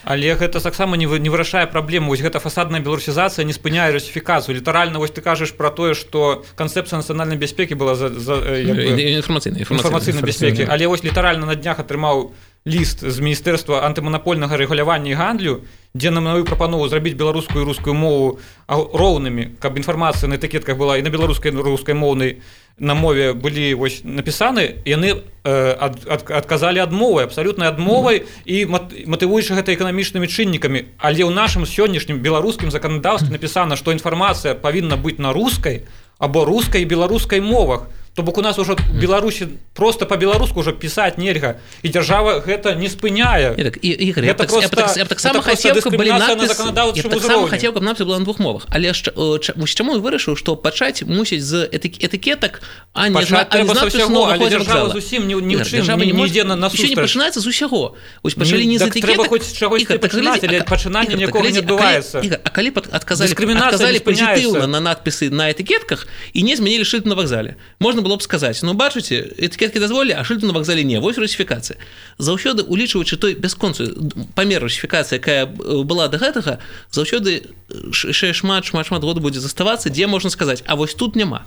Але гэта таксама не вырашае праблему. Вось гэта фасадная беларусізацыя не спыняе русіфікацыю. Літаральна вось ты кажаш пра тое, што канцэпцыя нацыянальнай бяспекі была за, за як бы,
інфармацыйнай
інфармацыйнай бяспекі. Але вось літаральна на днях атрымаў ліст з Міністэрства антыманапольнага рэгулявання і гандлю, дзе нам маю прапанову зрабіць беларускую і рускую мову роўнымі, каб інфармацыя на этыкетках была і на беларускай, і на рускай моўнай на мове былі вось напісаны, яны э, ад, ад, адказалі адмовай, абсалютнай адмовай і матывуючы гэта эканамічнымі чыннікамі. Але ў нашым сённяшнім беларускім заканадаўстве напісана, што інфармацыя павінна быць на рускай або рускай і беларускай мовах. То бок у нас уже Беларусі просто по-беларуску уже пісаць нельга і дзяржава гэта не спыняе.
Так, і, Ігор, я, так, просто, я, так, я так само хацеў, каб былі надпіс, я так само хацеў, каб надпіс была на двух мовах, але ж чаму я вырашыў, што пачаць мусіць з этыкетак, а не з надпісу новага вакзала.
Зусім не, не ў чым, не, не ідзе на насустрач.
Еще не пачынаецца з усяго. Вось пачалі не з этыкетак.
Трэба хоць чагосьці пачынаць, але пачынання нікога не адбываецца.
Ігор, а калі адказалі, адказалі пазітыўна на надпісы на этыкетках і не змянілі шыльд на вакзале, можна было б сказаць, ну бачыце, этыкеткі дазволілі, а шыльду на вакзале не. Вось русіфікацыя. Заўсёды улічваючы той бясконцую памер русіфікацыі, якая была да гэтага, заўсёды яшчэ шмат шмат шмат году будзе заставацца, дзе можна сказаць, а вось тут няма.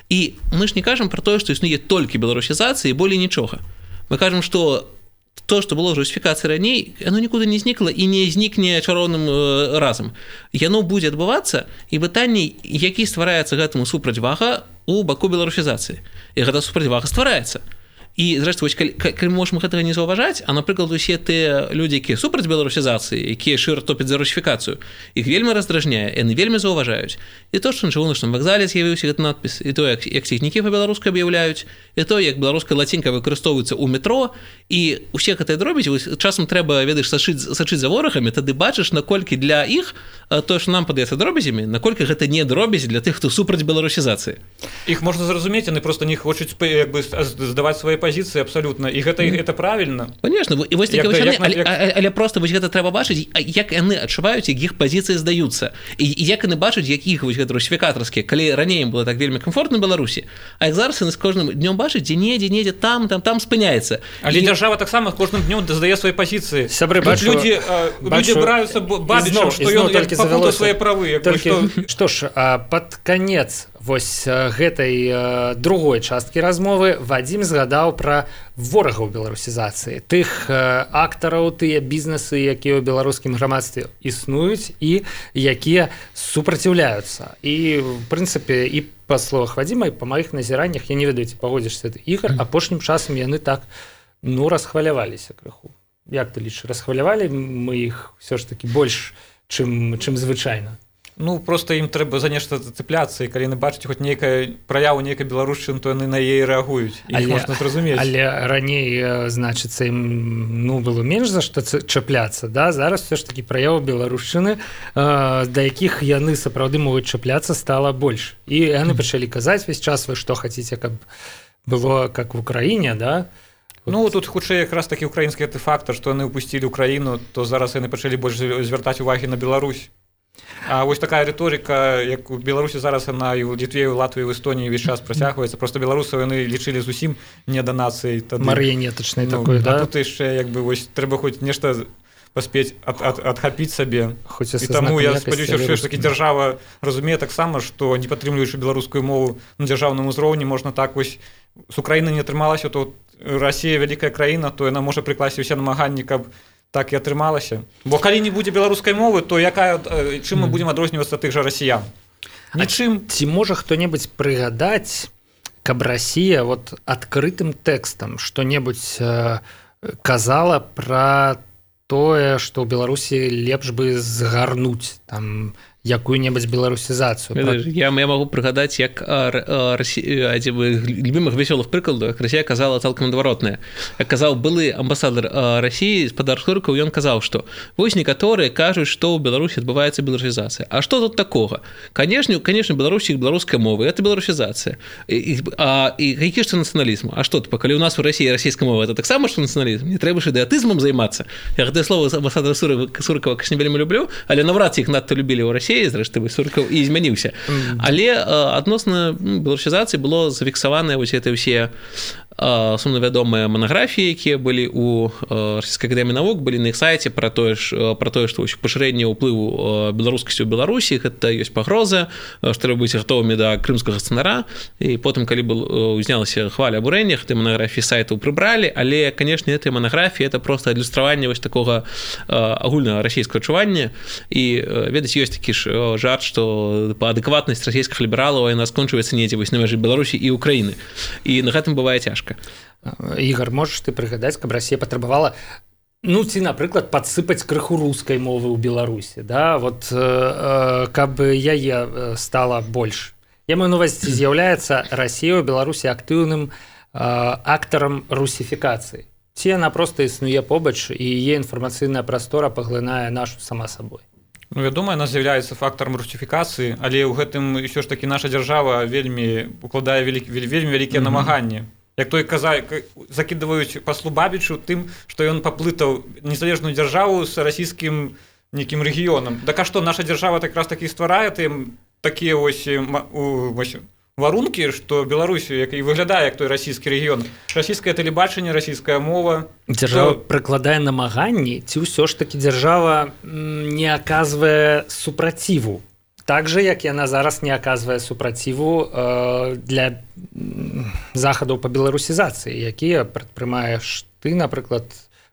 І мы ж не кажам пра тое, што існуе толькі беларусізацыя і болей нічога. Мы кажам, што то, што было русіфікацыя раней, яно нікуды не знікла і не знікне чароўным разам. Яно будзе адбывацца, і пытанне, які ствараецца гэтаму супрацьвага у баку беларусізацыі. І гэта супрацьвага ствараецца. І, зрэшты, вось, калі, калі можам гэтага не заўважаць, а, напрыклад, усе тыя людзі, якія супраць беларусізацыі, якія шыра топяць за русіфікацыю, іх вельмі раздражняе, яны вельмі заўважаюць. І то, што на чыгуначным вакзале з'явіўся гэты надпіс, і то, як, як цягнікі па-беларуску аб'яўляюць, і то, як беларуская лацінка выкарыстоўваецца ў метро, і ўсе гэтыя дробязі, часам трэба, ведаеш, сачыць, сачыць за ворагамі, тады бачыш, наколькі для іх то, што нам падаецца дробязямі, наколькі гэта не дробязі для тых, хто супраць беларусізацыі.
Іх можна зразумець, яны проста не хочуць як бы здаваць свае позиции абсолютно, і гэта mm. это правильно.
Конечно, і вось такі яны, але, як... але просто вось гэта трэба бачыць, як яны адчуваюць, як іх пазіцыі здаюцца, і, і як яны бачаць, як іх вось гэта русіфікатарскія, калі раней ім было так вельмі комфортна ў Беларусі, а як зараз яны з кожным днём бачаць, дзе недзе, недзе там, там, там спыняецца.
Але і... дзяржава таксама кожным днём здае свае пазіцыі.
Сябры, бачу,
людзі, бачу, людзі браюцца бабічам, што ён папутаў свае правы.
Што ж, пад канец вось гэтай другой часткі размовы Вадзім згадаў пра ворагаў беларусізацыі, тых актараў, тыя бізнесы, якія ў беларускім грамадстве існуюць і якія супраціўляюцца. І в прынцыпе і па словах Вадзіма, і па маіх назіраннях, я не ведаю, ці пагодзішся ты, Ігор, апошнім часам яны так ну расхваляваліся крыху. Як ты лічыш, расхвалявалі мы іх ўсё ж такі больш, чым, чым звычайна?
Ну, просто ім трэба за нешта зацепляцца, і калі яны бачаць хоць нейкая праяву нейкай беларушчыны, то яны на яе рэагуюць. Іх можна зразумець.
Але раней, значыцца, ім ну, было менш за што чапляцца, да? Зараз все ж такі праяву беларушчыны, да якіх яны сапраўды могуць чапляцца, стала больш. І яны пачалі казаць весь час, вы што хацеце, каб было как в Украіне, да?
Ну, тут хутчэй якраз такі украінскі гэты фактар, што яны ўпусцілі ўкраіну, то зараз яны пачалі больш звяртаць увагі на Беларусь. А вось такая рыторыка, як у Беларусі зараз яна і ў Літве, у Латвіі, у Эстоніі ўвесь час працягваецца. Проста беларусаў яны лічылі зусім не да нацыі.
Марыянетачнай
ну,
такой, да?
А тут яшчэ як бы вось трэба хоць нешта паспець ад, ад, адхапіць сабе.
Хоць
і таму я спадзяюся, што ж такі дзяржава разумее таксама, што не падтрымліваючы беларускую мову на дзяржаўным узроўні, можна так вось з Украіны не атрымалася, то Расія вялікая краіна, то яна можа прыкласці ўсе намаганні, каб так і атрымалася. Бо калі не будзе беларускай мовы, то якая, чым мы будзем адрознівацца тых жа расіян? Нічым.
А ці можа хто-небудзь прыгадаць, каб Расія вот адкрытым тэкстам што-небудзь э, казала пра тое, што ў Беларусі лепш бы згарнуць там якую-небудзь беларусізацыю.
Пра... Я, я магу прыгадаць, як адзін любімых вясёлых прыкладаў, як Расія казала цалкам адваротнае. Як казаў былы амбасадар Расіі, спадар Суркаў, ён казаў, што вось некаторыя кажуць, што ў Беларусі адбываецца беларусізацыя. А што тут такога? Канешне, канешне, Беларусі беларускай мовы, гэта беларусізацыя. І, а, і які ж це нацыяналізм? А што, типа, калі ў нас у Расіі расійская мова, гэта таксама што нацыяналізм? Не трэба ж ідэатызмам займацца. Я гэтае слово амбасадара Суркава, конечно, не вельмі люблю, але наврад ці іх надта любілі ў Расіі, зрэшты Суркаў і змяніўся. Але адносна беларусізацыі было зафіксаваныя вось гэтыя ўсе сумна вядомыя манаграфіі, якія былі ў расійскай акадэміі навук, былі на іх сайце пра тое ж пра тое, што пашырэнне ўплыву беларускасці ў Беларусі, гэта ёсць пагроза, што трэба быць гатовымі да крымскага сцэнара. І потым, калі был узнялася хваля абурэння, гэтыя манаграфіі сайтаў прыбралі, але, канешне, гэтыя манаграфіі это проста адлюстраванне вось такога агульнага расійскага адчування. І ведаць, ёсць такі ж жарт, што адэкватнасць расійскіх лібералаў яна скончваецца недзе вось на мяжы Беларусі і Украіны. І на гэтым бывае цяжка.
Ігор, можаш ты прыгадаць, каб Расія патрабавала ну ці, напрыклад, падсыпаць крыху рускай мовы ў Беларусі, да? Вот, э, каб яе стала больш. Я маю на увазі, з'яўляецца Расія ў Беларусі актыўным актарам русіфікацыі. Ці яна проста існуе побач і яе інфармацыйная прастора паглынае нашу сама сабой.
Ну, вядома, яна з'яўляецца фактарам русіфікацыі, але ў гэтым ўсё ж такі наша дзяржава вельмі укладае вялі, вельмі вялікія mm-hmm. намаганні. Як той каза, закідваюць паслу Бабічу тым, што ён паплытаў незалежную дзяржаву з расійскім нейкім рэгіёнам. Так а што, наша дзяржава так раз такі стварае тым такія вось, вось варункі, што Беларусі, як і выглядае як той расійскі рэгіён. Расійскае тэлебачанне, расійская мова.
Дзяржава то... прыкладае намаганні, ці ўсё ж такі дзяржава не аказвае супраціву. Так жа, як яна зараз не аказвае супраціву э, для захадаў па беларусізацыі, якія прадпрымаеш ты, напрыклад,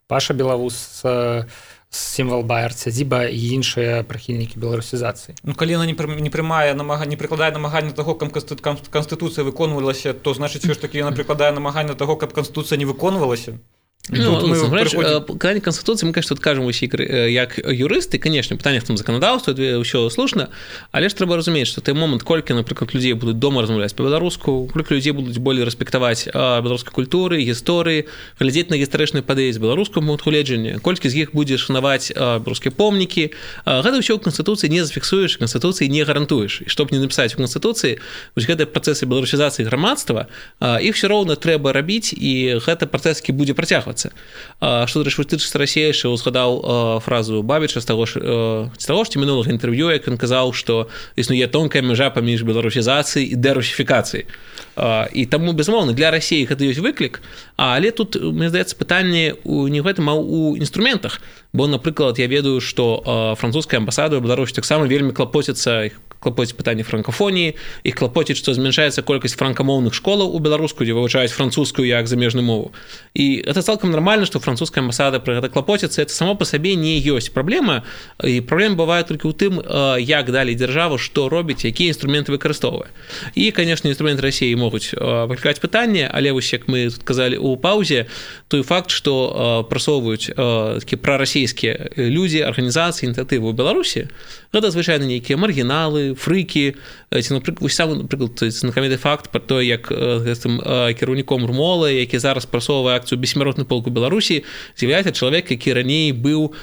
Паша Белавус, э, сімвал Байер, сядзіба і іншыя прыхільнікі беларусізацыі.
Ну, калі яна не, не прымае намага, не прыкладае намагання таго, каб канстытуцыя выконвалася, то значыць, все ж такі яна прыкладае намагання таго, каб канстытуцыя не выконвалася.
Ну, ну, приходим... Когда Конституции, мы, конечно, тут кажем усі, як юристи, конечно, питання в тому законодавству, все слушно, але ж треба розуміти, що той момент, кольки, наприклад, людей будуть дома розмовляти по-белоруску, кольки людей будуть більше респектувати белорусську культуру, історії, глядіти на історичні події з белорусского гледження, кольки з них буде шанувати белорусские помники, гэта все в Конституции не зафиксуешь, Конституции не гарантуешь. И чтобы не написать в Конституции, вось гэты процессы беларусізацыі грамадства, их все равно треба робить, и гэты процесс будет протягиваться. Што тычыцца Расіі, що згадаў фразу Бабіча з таго ж ці мінулага інтэрв'ю, як ён казаў, што існуе тонкая мяжа паміж беларусізацыяй і дэрусіфікацыяй. І таму, безумоўна, для Расіі гэта ёсць выклік, але тут, мне здаецца, пытанне не ў гэтым, а ў інструментах. Бо, напрыклад, я ведаю, што французская амбасада ў Беларусі таксама вельмі клапоціцца, клапоціць пытанне франкафоніі, іх клапоціць, што змяншаецца колькасць франкамоўных школаў у беларуску, дзе вывучаюць французскую як замежную мову. І гэта цалкам нормально, што французская амбасада пра гэта клапоціцца, это само па сабе не ёсць праблема, і праблема бывае толькі ў тым, як далей дзяржава, што робіць, якія інструменты выкарыстоўвае. І, канешне, інструменты Расіі могуць выклікаць пытанне, але вось як мы тут казалі ў паўзе, той факт, што прасоўваюць такі прарасійскія людзі, арганізацыі, ініцыятывы ў Беларусі, гэта звычайна нейкія маргіналы, фрыкі, ці, напрыклад, вось сам, напрыклад, знакаміты факт пра то, як гэтым кіраўніком РМОЛа, які зараз прасоўвае акцыю «Бессмяротны полк у Беларусі», з'яўляецца чалавек, які раней быў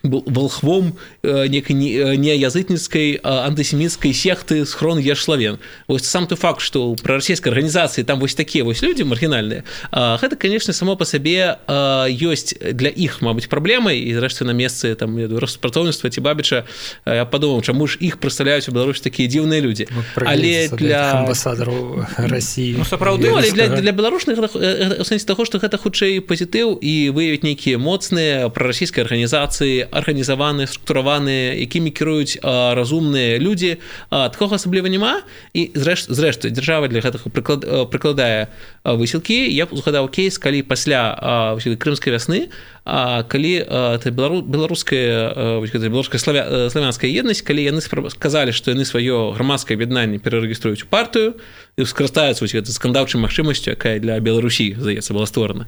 волхвом некай неязытніцкай антысеміцкай секты схрон Ешславен. Вось сам той факт, што пры расійскай арганізацыі там вось такія вось людзі маргінальныя, гэта, канешне, само па сабе ёсць для іх, мабыць, праблемай, і зрэшты на месцы там распрацоўніцтва ці Бабіча я падумаў, чаму ж іх прадстаўляюць у Беларусі такія дзіўныя людзі. Але для
амбасадараў Расіі,
ну, сапраўды,
ну, але для, для беларушных у сэнсе таго, што гэта хутчэй пазітыў і выявіць нейкія моцныя прарасійскія арганізацыі, арганізаваныя, структураваныя, якімі кіруюць а, разумныя людзі, а, такога асабліва няма, і зрэшты, зрэшты дзяржава для гэтага прыклад, прыкладае высілкі. Я згадаў кейс, калі пасля а, крымскай вясны, а, калі а, белару, беларуская, беларуская славя, славянская еднасць, калі яны сказалі, што яны сваё грамадскае аб'яднанне перарэгіструюць у партыю і скарыстаюцца гэтай скандаўчай магчымасцю, якая для Беларусі, здаецца, была створана.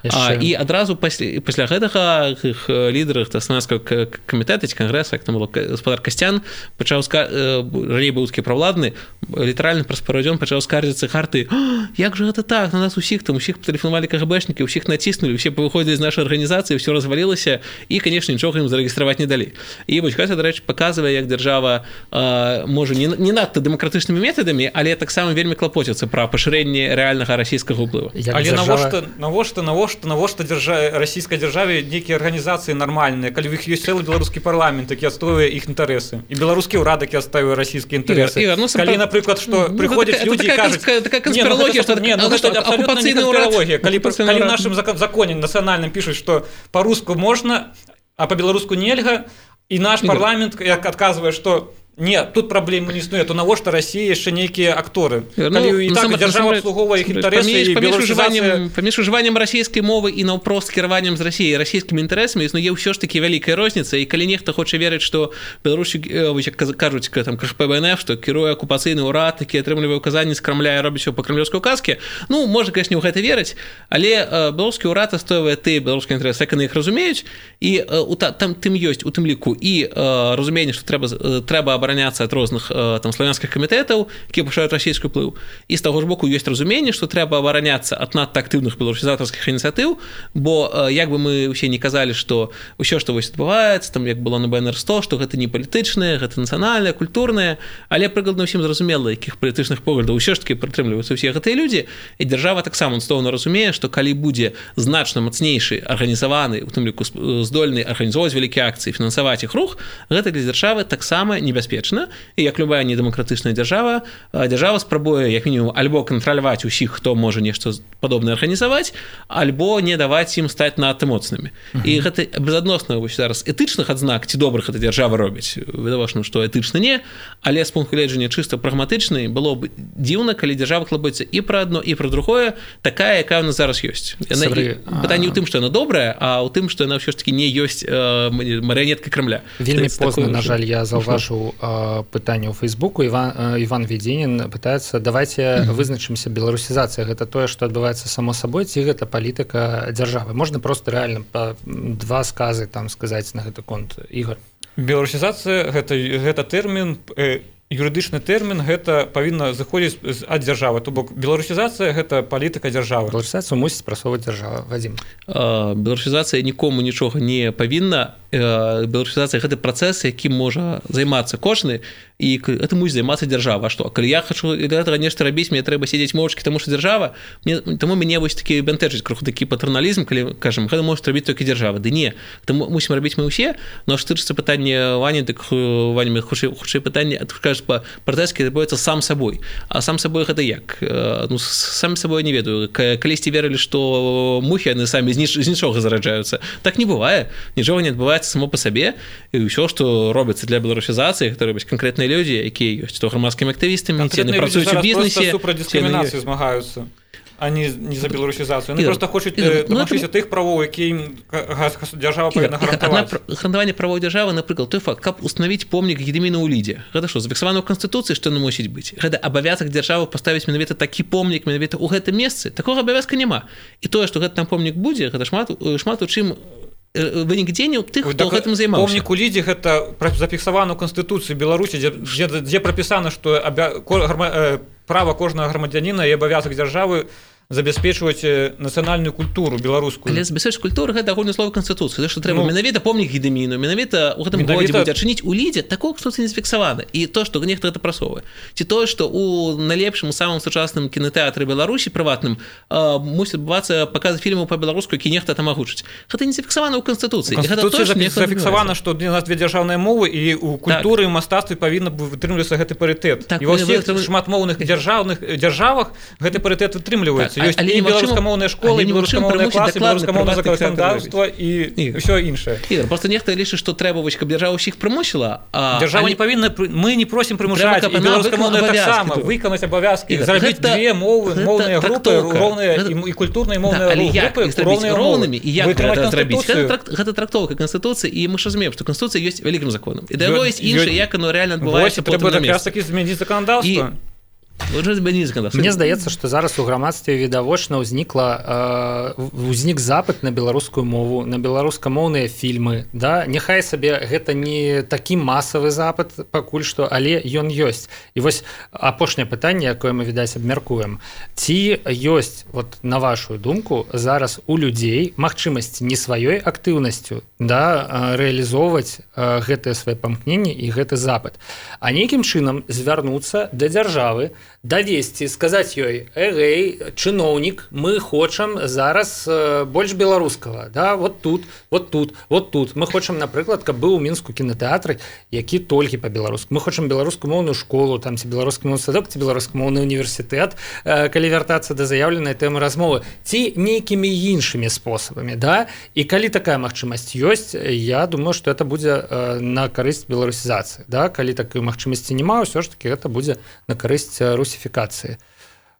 А, і адразу пасля, пасля гэтага іх лідары славянскага камітэта ці кангрэса, як там было, гаспадар Касцян, пачаў раней быў такі правладны, літаральна праз пару дзён пачаў скардзіцца харты: як жа гэта так, на нас усіх там усіх патэлефанавалі КГБшнікі, усіх націснулі, усе павыходзілі з нашай арганізацыі, ўсё развалілася, і, канешне, нічога ім зарэгістраваць не далі. І вось гэта, дарэчы, паказвае, як дзяржава а, можа не, не надта дэмакратычнымі метадамі, але таксама вельмі клапоціцца пра пашырэнне рэальнага расійскага ўплыву.
Але навошта, навошта, навошта, навошта дзяржа... расійскай дзяржаве нейкія арганізацыі нармальныя, калі ў іх ёсць цэлы беларускі парламент, які адстойвае іх інтарэсы, і беларускі ўрад, які адстойвае расійскія інтарэсы.
Ігор, ну,
калі, напрыклад, што ну, прыходзяць людзі і кажуць,
такая канспіралогія, што
не, ну, гэта абсалютна не канспіралогія. Калі, калі ў нашым законе нацыянальным пішуць, што па-руску можна, а па-беларуску нельга, і наш парламент як адказвае, што не, тут праблемы не існуе, то навошта Расіі яшчэ нейкія акторы?
Ну,
калі і так дзяржава абслугоўвае іх інтарэсы, і беларусізацыя...
Паміж ужываннем расійскай мовы і наўпрост кіраваннем з Расіяй расійскімі інтарэсамі існуе ўсё ж такі вялікая розніца, і калі нехта хоча верыць, што Беларусі, як кажуць, там, КХП-БНФ, што кіруе акупацыйны ўрад, які атрымлівае ўказанні з Крамля і робіць усё па крамлёўскай указке, ну, можа, канешне, ў гэта верыць, але беларускі ўрад адстойвае тыя беларускія інтарэсы, як яны іх разумеюць, і там тым ёсць у тым ліку і разуменне, што трэба трэба абараняцца ад розных там славянскіх камітэтаў, якія пашаюць расійскі ўплыў. І з таго ж боку ёсць разуменне, што трэба абараняцца ад надта актыўных беларусізатарскіх ініцыятыў, бо як бы мы ўсе не казалі, што ўсё, што вось адбываецца, там як было на бэ эн эр сто, што гэта не палітычнае, гэта нацыянальнае, культурнае, але прыкладна ўсім зразумела, якіх палітычных поглядаў ўсё ж такі прытрымліваюцца ўсе гэтыя людзі, і дзяржава таксама цудоўна разумее, што калі будзе значна мацнейшы арганізаваны, у тым ліку здольны арганізоўваць вялікія акцыі, фінансаваць іх рух, гэта для дзяржавы таксама небяспечна. І як любая недэмакратычная дзяржава, дзяржава спрабуе як мінімум альбо кантраляваць усіх, хто можа нешта падобнае арганізаваць, альбо не даваць ім стаць надта моцнымі. Uh-huh. І гэта безадносна вось зараз этычных адзнак ці добрых гэта дзяржава робіць. Відавочна, што этычна не, але з пункту гледжання чыста прагматычнай было б дзіўна, калі дзяржава клабаецца і пра адно, і пра другое, такая, якая ў нас зараз ёсць. Яна, Сабры, пытанне ў тым, што яна добрая, а ў тым, што яна ўсё ж такі не ёсць э, марыянетка Крамля.
Вельмі позна, на жаль, я заўважыў пытанне ў Фейсбуку. Іван, Іван Ведзенін пытаецца, давайте mm-hmm. вызначымся, беларусізацыя гэта тое, што адбываецца само сабой, ці гэта палітыка дзяржавы. Можна проста рэальна па два сказы там сказаць на гэты конт. Ігор.
Беларусізацыя гэта, гэта тэрмін, э, юрыдычны тэрмін, гэта павінна заходзіць ад дзяржавы. То бок беларусізацыя гэта палітыка дзяржавы.
Беларусізацыю мусіць прасоўваць дзяржава. Вадзім.
Беларусізацыя нікому нічога не павінна. Беларусізацыя гэта працэс, якім можа займацца кожны, і это мусіць займацца дзяржава. А што? Калі я хачу гэтага нешта рабіць, мне трэба сядзець моўчкі, таму што дзяржава, мне, таму мяне вось такі бянтэжыць крыху такі патерналізм, калі кажам, гэта можа рабіць толькі дзяржава. Ды не, таму мусім рабіць мы ўсе. Но што тычыцца пытання Вані, дык Ваня, хутчэй хутчэй пытанне, кажаш па пратэскі адбываецца сам сабой. А сам сабой гэта як? Ну сам сабой не ведаю. Калісьці верылі, што мухі яны самі з нічога зараджаюцца. Так не бывае. Нічога не адбываецца само по сабе, і ўсё, што робіцца для беларусізацыі, гэта робяць канкрэтныя людзі, якія ёсць то грамадскімі актывістамі, ці яны працуюць у бізнесе,
супраць дыскрымінацыі змагаюцца, а не, не за беларусізацыю. Яны проста хочуць дамагчыся тых правоў, якія ім дзяржава павінна гарантаваць.
Гарантаванне правоў дзяржавы, напрыклад, той факт, каб установіць помнік Гедыміна ў Лідзе. Гэта што, зафіксавана ў Канстытуцыі, што яно мусіць быць? Гэта абавязак дзяржавы паставіць менавіта такі помнік, менавіта ў гэтым месцы. Такога абавязка няма. І тое, што гэты там помнік будзе, гэта шмат, шмат у чым вынік дзеянняў тых, хто гэтым займаўся.
Помнік у Лідзе гэта зафіксавана ў Канстытуцыі Беларусі, дзе, дзе, дзе прапісана, што абя... права кожнага грамадзяніна і абавязак дзяржавы забяспечваць нацыянальную культуру беларускую.
Але забяспечваць культуру гэта агульнае слова Канстытуцыі, што трэба ну, менавіта помнік Гедыміну, менавіта ў гэтым годзе будзе адчыніць у Лідзе, такога Канстытуцыі не зафіксавана. І то, што нехта гэта прасоўвае. Ці тое, што ў найлепшым, самым сучасным кінотэатры Беларусі прыватным э, мусіць адбывацца паказы фільмаў па-беларуску, які нехта там агучыць. Гэта не зафіксавана ў Канстытуцыі.
Канстытуцыі зафіксавана, што у нас две дзяржаўныя мовы, і у культуры і мастацтве павінна вытрымлівацца гэты парытэт. Так, і ва ўсіх вы... шматмоўных дзяржаўных дзяржавах гэты парытэт вытрымліваецца. Ёсць і беларускамоўныя школы, і беларускамоўныя класы, беларускамоўнае заканадаўства і ўсё іншае.
Ігор, проста нехта лічыць, што трэба вось, каб дзяржава ўсіх прымусіла, а
дзяржава не павінна, мы не просім прымушаць, і беларускамоўныя таксама выканаць абавязкі, зрабіць две мовы, моўныя групы, роўныя і культурныя моўныя групы роўнымі.
І як гэта зрабіць? Гэта трактоўка Канстытуцыі, і мы ж разумеем, што Канстытуцыя ёсць вялікім законам. І да яго ёсць іншае, як оно рэальна адбываецца потым на месцы.
Трэба змяніць заканадаўства.
Мне здаецца, што зараз у грамадстве відавочна ўзнікла э, узнік запыт на беларускую мову, на беларускамоўныя фільмы. Да? Няхай сабе гэта не такі масавы запыт пакуль што, але ён ёсць. І вось апошняе пытанне, якое мы, відаць, абмяркуем. Ці ёсць, вот, на вашу думку, зараз у людзей магчымасць не сваёй актыўнасцю, да, рэалізоўваць э, гэтыя свае памкненні і гэты запыт, а нейкім чынам звярнуцца да дзяржавы, давесці, сказаць ёй: эгэй, чыноўнік, мы хочам зараз э, больш беларускага, да, вот тут, вот тут, вот тут. Мы хочам, напрыклад, каб быў у Мінску кінотэатры, які толькі па-беларуску. Мы хочам беларускамоўную школу, там ці беларускамоўны садок, ці беларускамоўны універсітэт, э, калі вяртацца да заяўленай тэмы размовы, ці нейкімі іншымі спосабамі, да? І калі такая магчымасць ёсць, я думаю, што это будзе э, на карысць беларусізацыі, да? Калі такой магчымасці няма, ўсё ж таки гэта будзе на карысць русіфікацыі.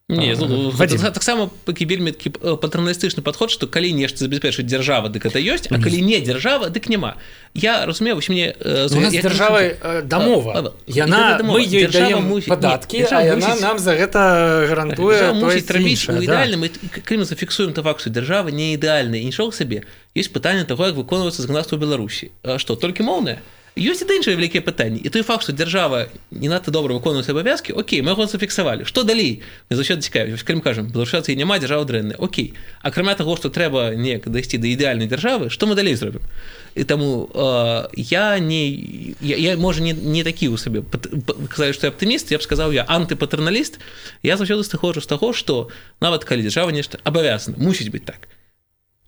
Не, ну, таксама вельмі такі патэрналістычны падход, што калі нешта забяспечыць дзяржава, дык гэта ёсць, а калі не дзяржава, дык няма. Я разумею, вось мне...
У нас дзяржава дамова. Яна, мы ёй даем падаткі, а яна нам за гэта гарантуе
тое ці іншае. Ідэальным, калі мы зафіксуем то факт, што дзяржава не ідэальная, і нічога сабе, ёсць пытанне таго, як выконваецца заканадаўства ў Беларусі. Што, толькі моўнае? Ёсць і іншыя вялікія пытанні. І той факт, што дзяржава не надта добра выконвае свае абавязкі, окей, мы яго зафіксавалі. Што далей? Мы заўсёды цікавіць. Калі мы кажам, беларусізацыі няма, дзяржава дрэнная. Окей. Акрамя таго, што трэба неяк дайсці да ідэальнай дзяржавы, што мы далей зробім? І таму э, я не я, я можа не, не такі ў сабе казалі, што я аптыміст, я б сказаў, я антыпатэрналіст. Я заўсёды сыходжу з таго, што нават калі дзяржава нешта абавязана, мусіць быць так.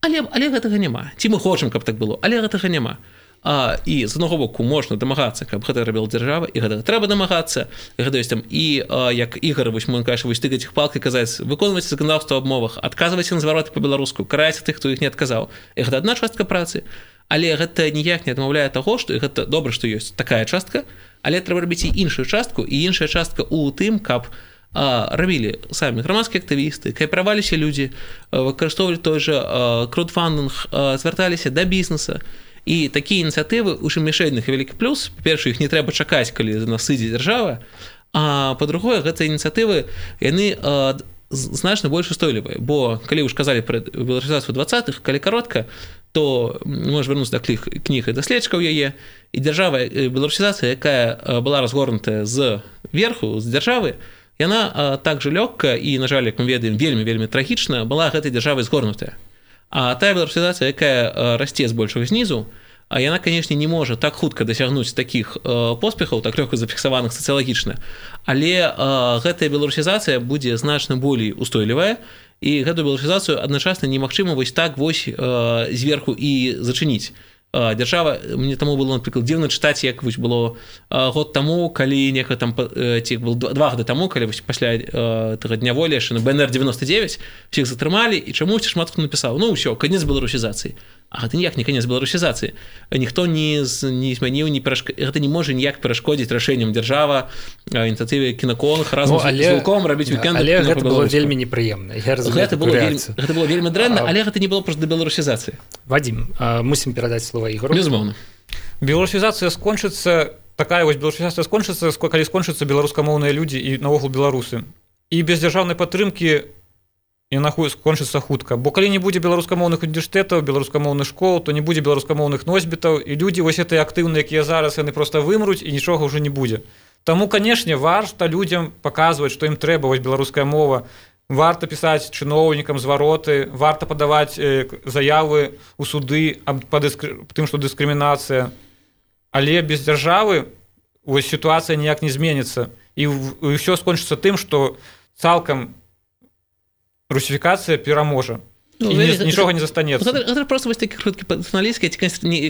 Але, але гэтага няма. Ці мы хочам, каб так было, але гэтага няма. А, і з одного боку можна дамагацца, каб гэта рабіла дзяржава, і гэта трэба дамагацца, і гэта ёсць там і а, як Ігор, вось мы кажа, вось тыкаць іх палкай, казаць, выконваць заканадаўства аб мовах, адказваць на звароты па-беларуску, караць тых, хто іх не адказаў. І гэта адна частка працы, але гэта ніяк не адмаўляе таго, што гэта добра, што ёсць такая частка, але трэба рабіць і іншую частку, і іншая частка ў тым, каб а, рабілі самі грамадскія актывісты, каапераваліся людзі, выкарыстоўвалі той жа краудфандинг, звярталіся да бізнеса. І такія ініцыятывы, у чым яшчэ адных вялікі плюс, па-першае, іх не трэба чакаць, калі за нас сыдзе дзяржава, а па-другое, гэтыя ініцыятывы, яны а, значна больш устойлівыя, бо калі вы ж казалі пра беларусізацыю двадцатых, калі каротка, то можна вярнуцца да кніг і даследчыкаў яе, і дзяржава, беларусізацыя, якая была разгорнутая з верху, з дзяржавы, яна а, так жа лёгка і, на жаль, як мы ведаем, вельмі-вельмі трагічна, была гэтай дзяржавай згорнутая. А тая беларусізацыя, якая расце збольшага знізу, а яна, канешне, не можа так хутка дасягнуць такіх э, поспехаў, так лёгка зафіксаваных сацыялагічна, але э, гэтая беларусізацыя будзе значна болей устойлівая, і гэтую беларусізацыю адначасна немагчыма вось так вось э, зверху і зачыніць. Дзяржава, мне таму было, напрыклад, дзіўна чытаць, як вось было год таму, калі некага там, ці было два гады таму, калі вось пасля таго дня волі яшчэ на бэ эн эр дзевяносто девять всіх затрымалі, і чамусьці шмат хто напісаў, ну ўсё, канец беларусізацыі. А гэта ніяк не канец беларусізацыі. Ніхто не, не змяніў, не перашк... гэта не можа ніяк перашкодзіць рашэнням дзяржава, ініцыятыве кінаконах, разам ну, але... з Вілком рабіць вікенды.
Але гэта было вельмі непрыемна.
Гэта было вельмі, гэта было вельмі дрэнна, але гэта не было проста да беларусізацыі.
Вадим, мусім перадаць слова Ігору.
Безумоўна.
Беларусізацыя скончыцца, такая вось беларусізацыя скончыцца, калі скончыцца беларускамоўныя людзі і наогул беларусы. І без дзяржаўнай падтрымкі яна скончыцца хутка, бо калі не будзе беларускамоўных універсітэтаў, беларускамоўных школ, то не будзе беларускамоўных носьбітаў, і людзі вось гэтыя актыўныя, якія зараз, яны проста вымруць і нічога ўжо не будзе. Таму, канешне, варта людзям паказваць, што ім трэба вось беларуская мова, варта пісаць чыноўнікам звароты, варта падаваць э, заявы ў суды аб дыскры... тым, што дыскрымінацыя. Але без дзяржавы вось сітуацыя ніяк не зменіцца. І ўсё скончыцца тым, што цалкам русифікацыя пераможа. Ну, і нічога не застанецца.
Гэта, гэта просто вось такі круткі патэрналісцкі, ці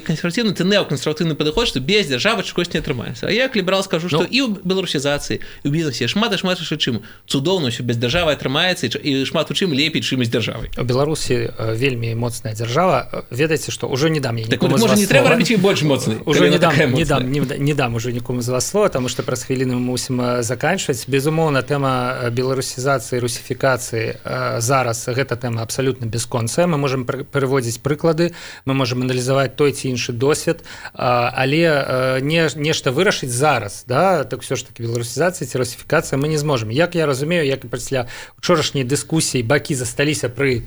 кансерватыўны, ці неокансерватыўны падыход, што без дзяржавы чагось не атрымаецца. А я як ліберал скажу, што ну, і ў беларусізацыі, і ў бізнесе шмат і шмат яшчэ чым цудоўна ўсё без дзяржавы атрымаецца, і шмат у чым лепей, чым з дзяржавай.
У Беларусі вельмі моцная дзяржава. Ведаеце, што ўжо не дам я нікому
так,
з вас
не трэба рабіць іх больш моцнай.
Ужо не дам, не дам, не, не дам ужо нікому з вас слова, таму што праз хвіліну мы мусім заканчваць. Безумоўна, тэма беларусізацыі, русіфікацыі зараз гэта тэма абсалютна бясконцая. Мы можам пераводзіць прыклады, мы можам аналізаваць той ці іншы досвед, але не, нешта вырашыць зараз, да, так все ж таки беларусізацыя ці русіфікацыя мы не зможам. Як я разумею, як і пасля учорашняй дыскусіі бакі засталіся пры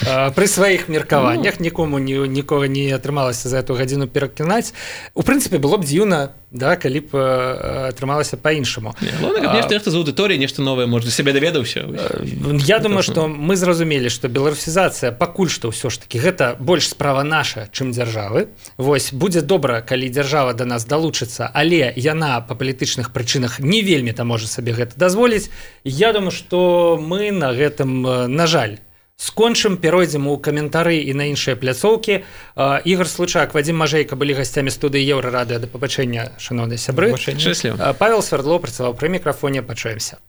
пры сваіх меркаваннях, нікому ні, нікога не атрымалася за эту гадзіну перакінаць. У прынцыпе, было б дзіўна, да, калі б атрымалася па-іншаму.
Главное, каб нешта нехта з аўдыторыі, нешта новае, можа, сябе даведаўся.
Я думаю, што мы зразумелі, што беларусізацыя пакуль што ўсё ж такі гэта больш справа наша, чым дзяржавы. Вось, будзе добра, калі дзяржава да нас далучыцца, але яна па палітычных прычынах не вельмі там можа сабе гэта дазволіць. Я думаю, што мы на гэтым, на жаль, скончым, перайдзем у каментары і на іншыя пляцоўкі. Ігор Случак, Вадим Мажэйка былі гасцямі студыі Еўрарадыё. Да пабачэння, шаноўныя сябры.
Шчасліва.
Павел Свердлоў працаваў пры мікрафоне. Пачуемся.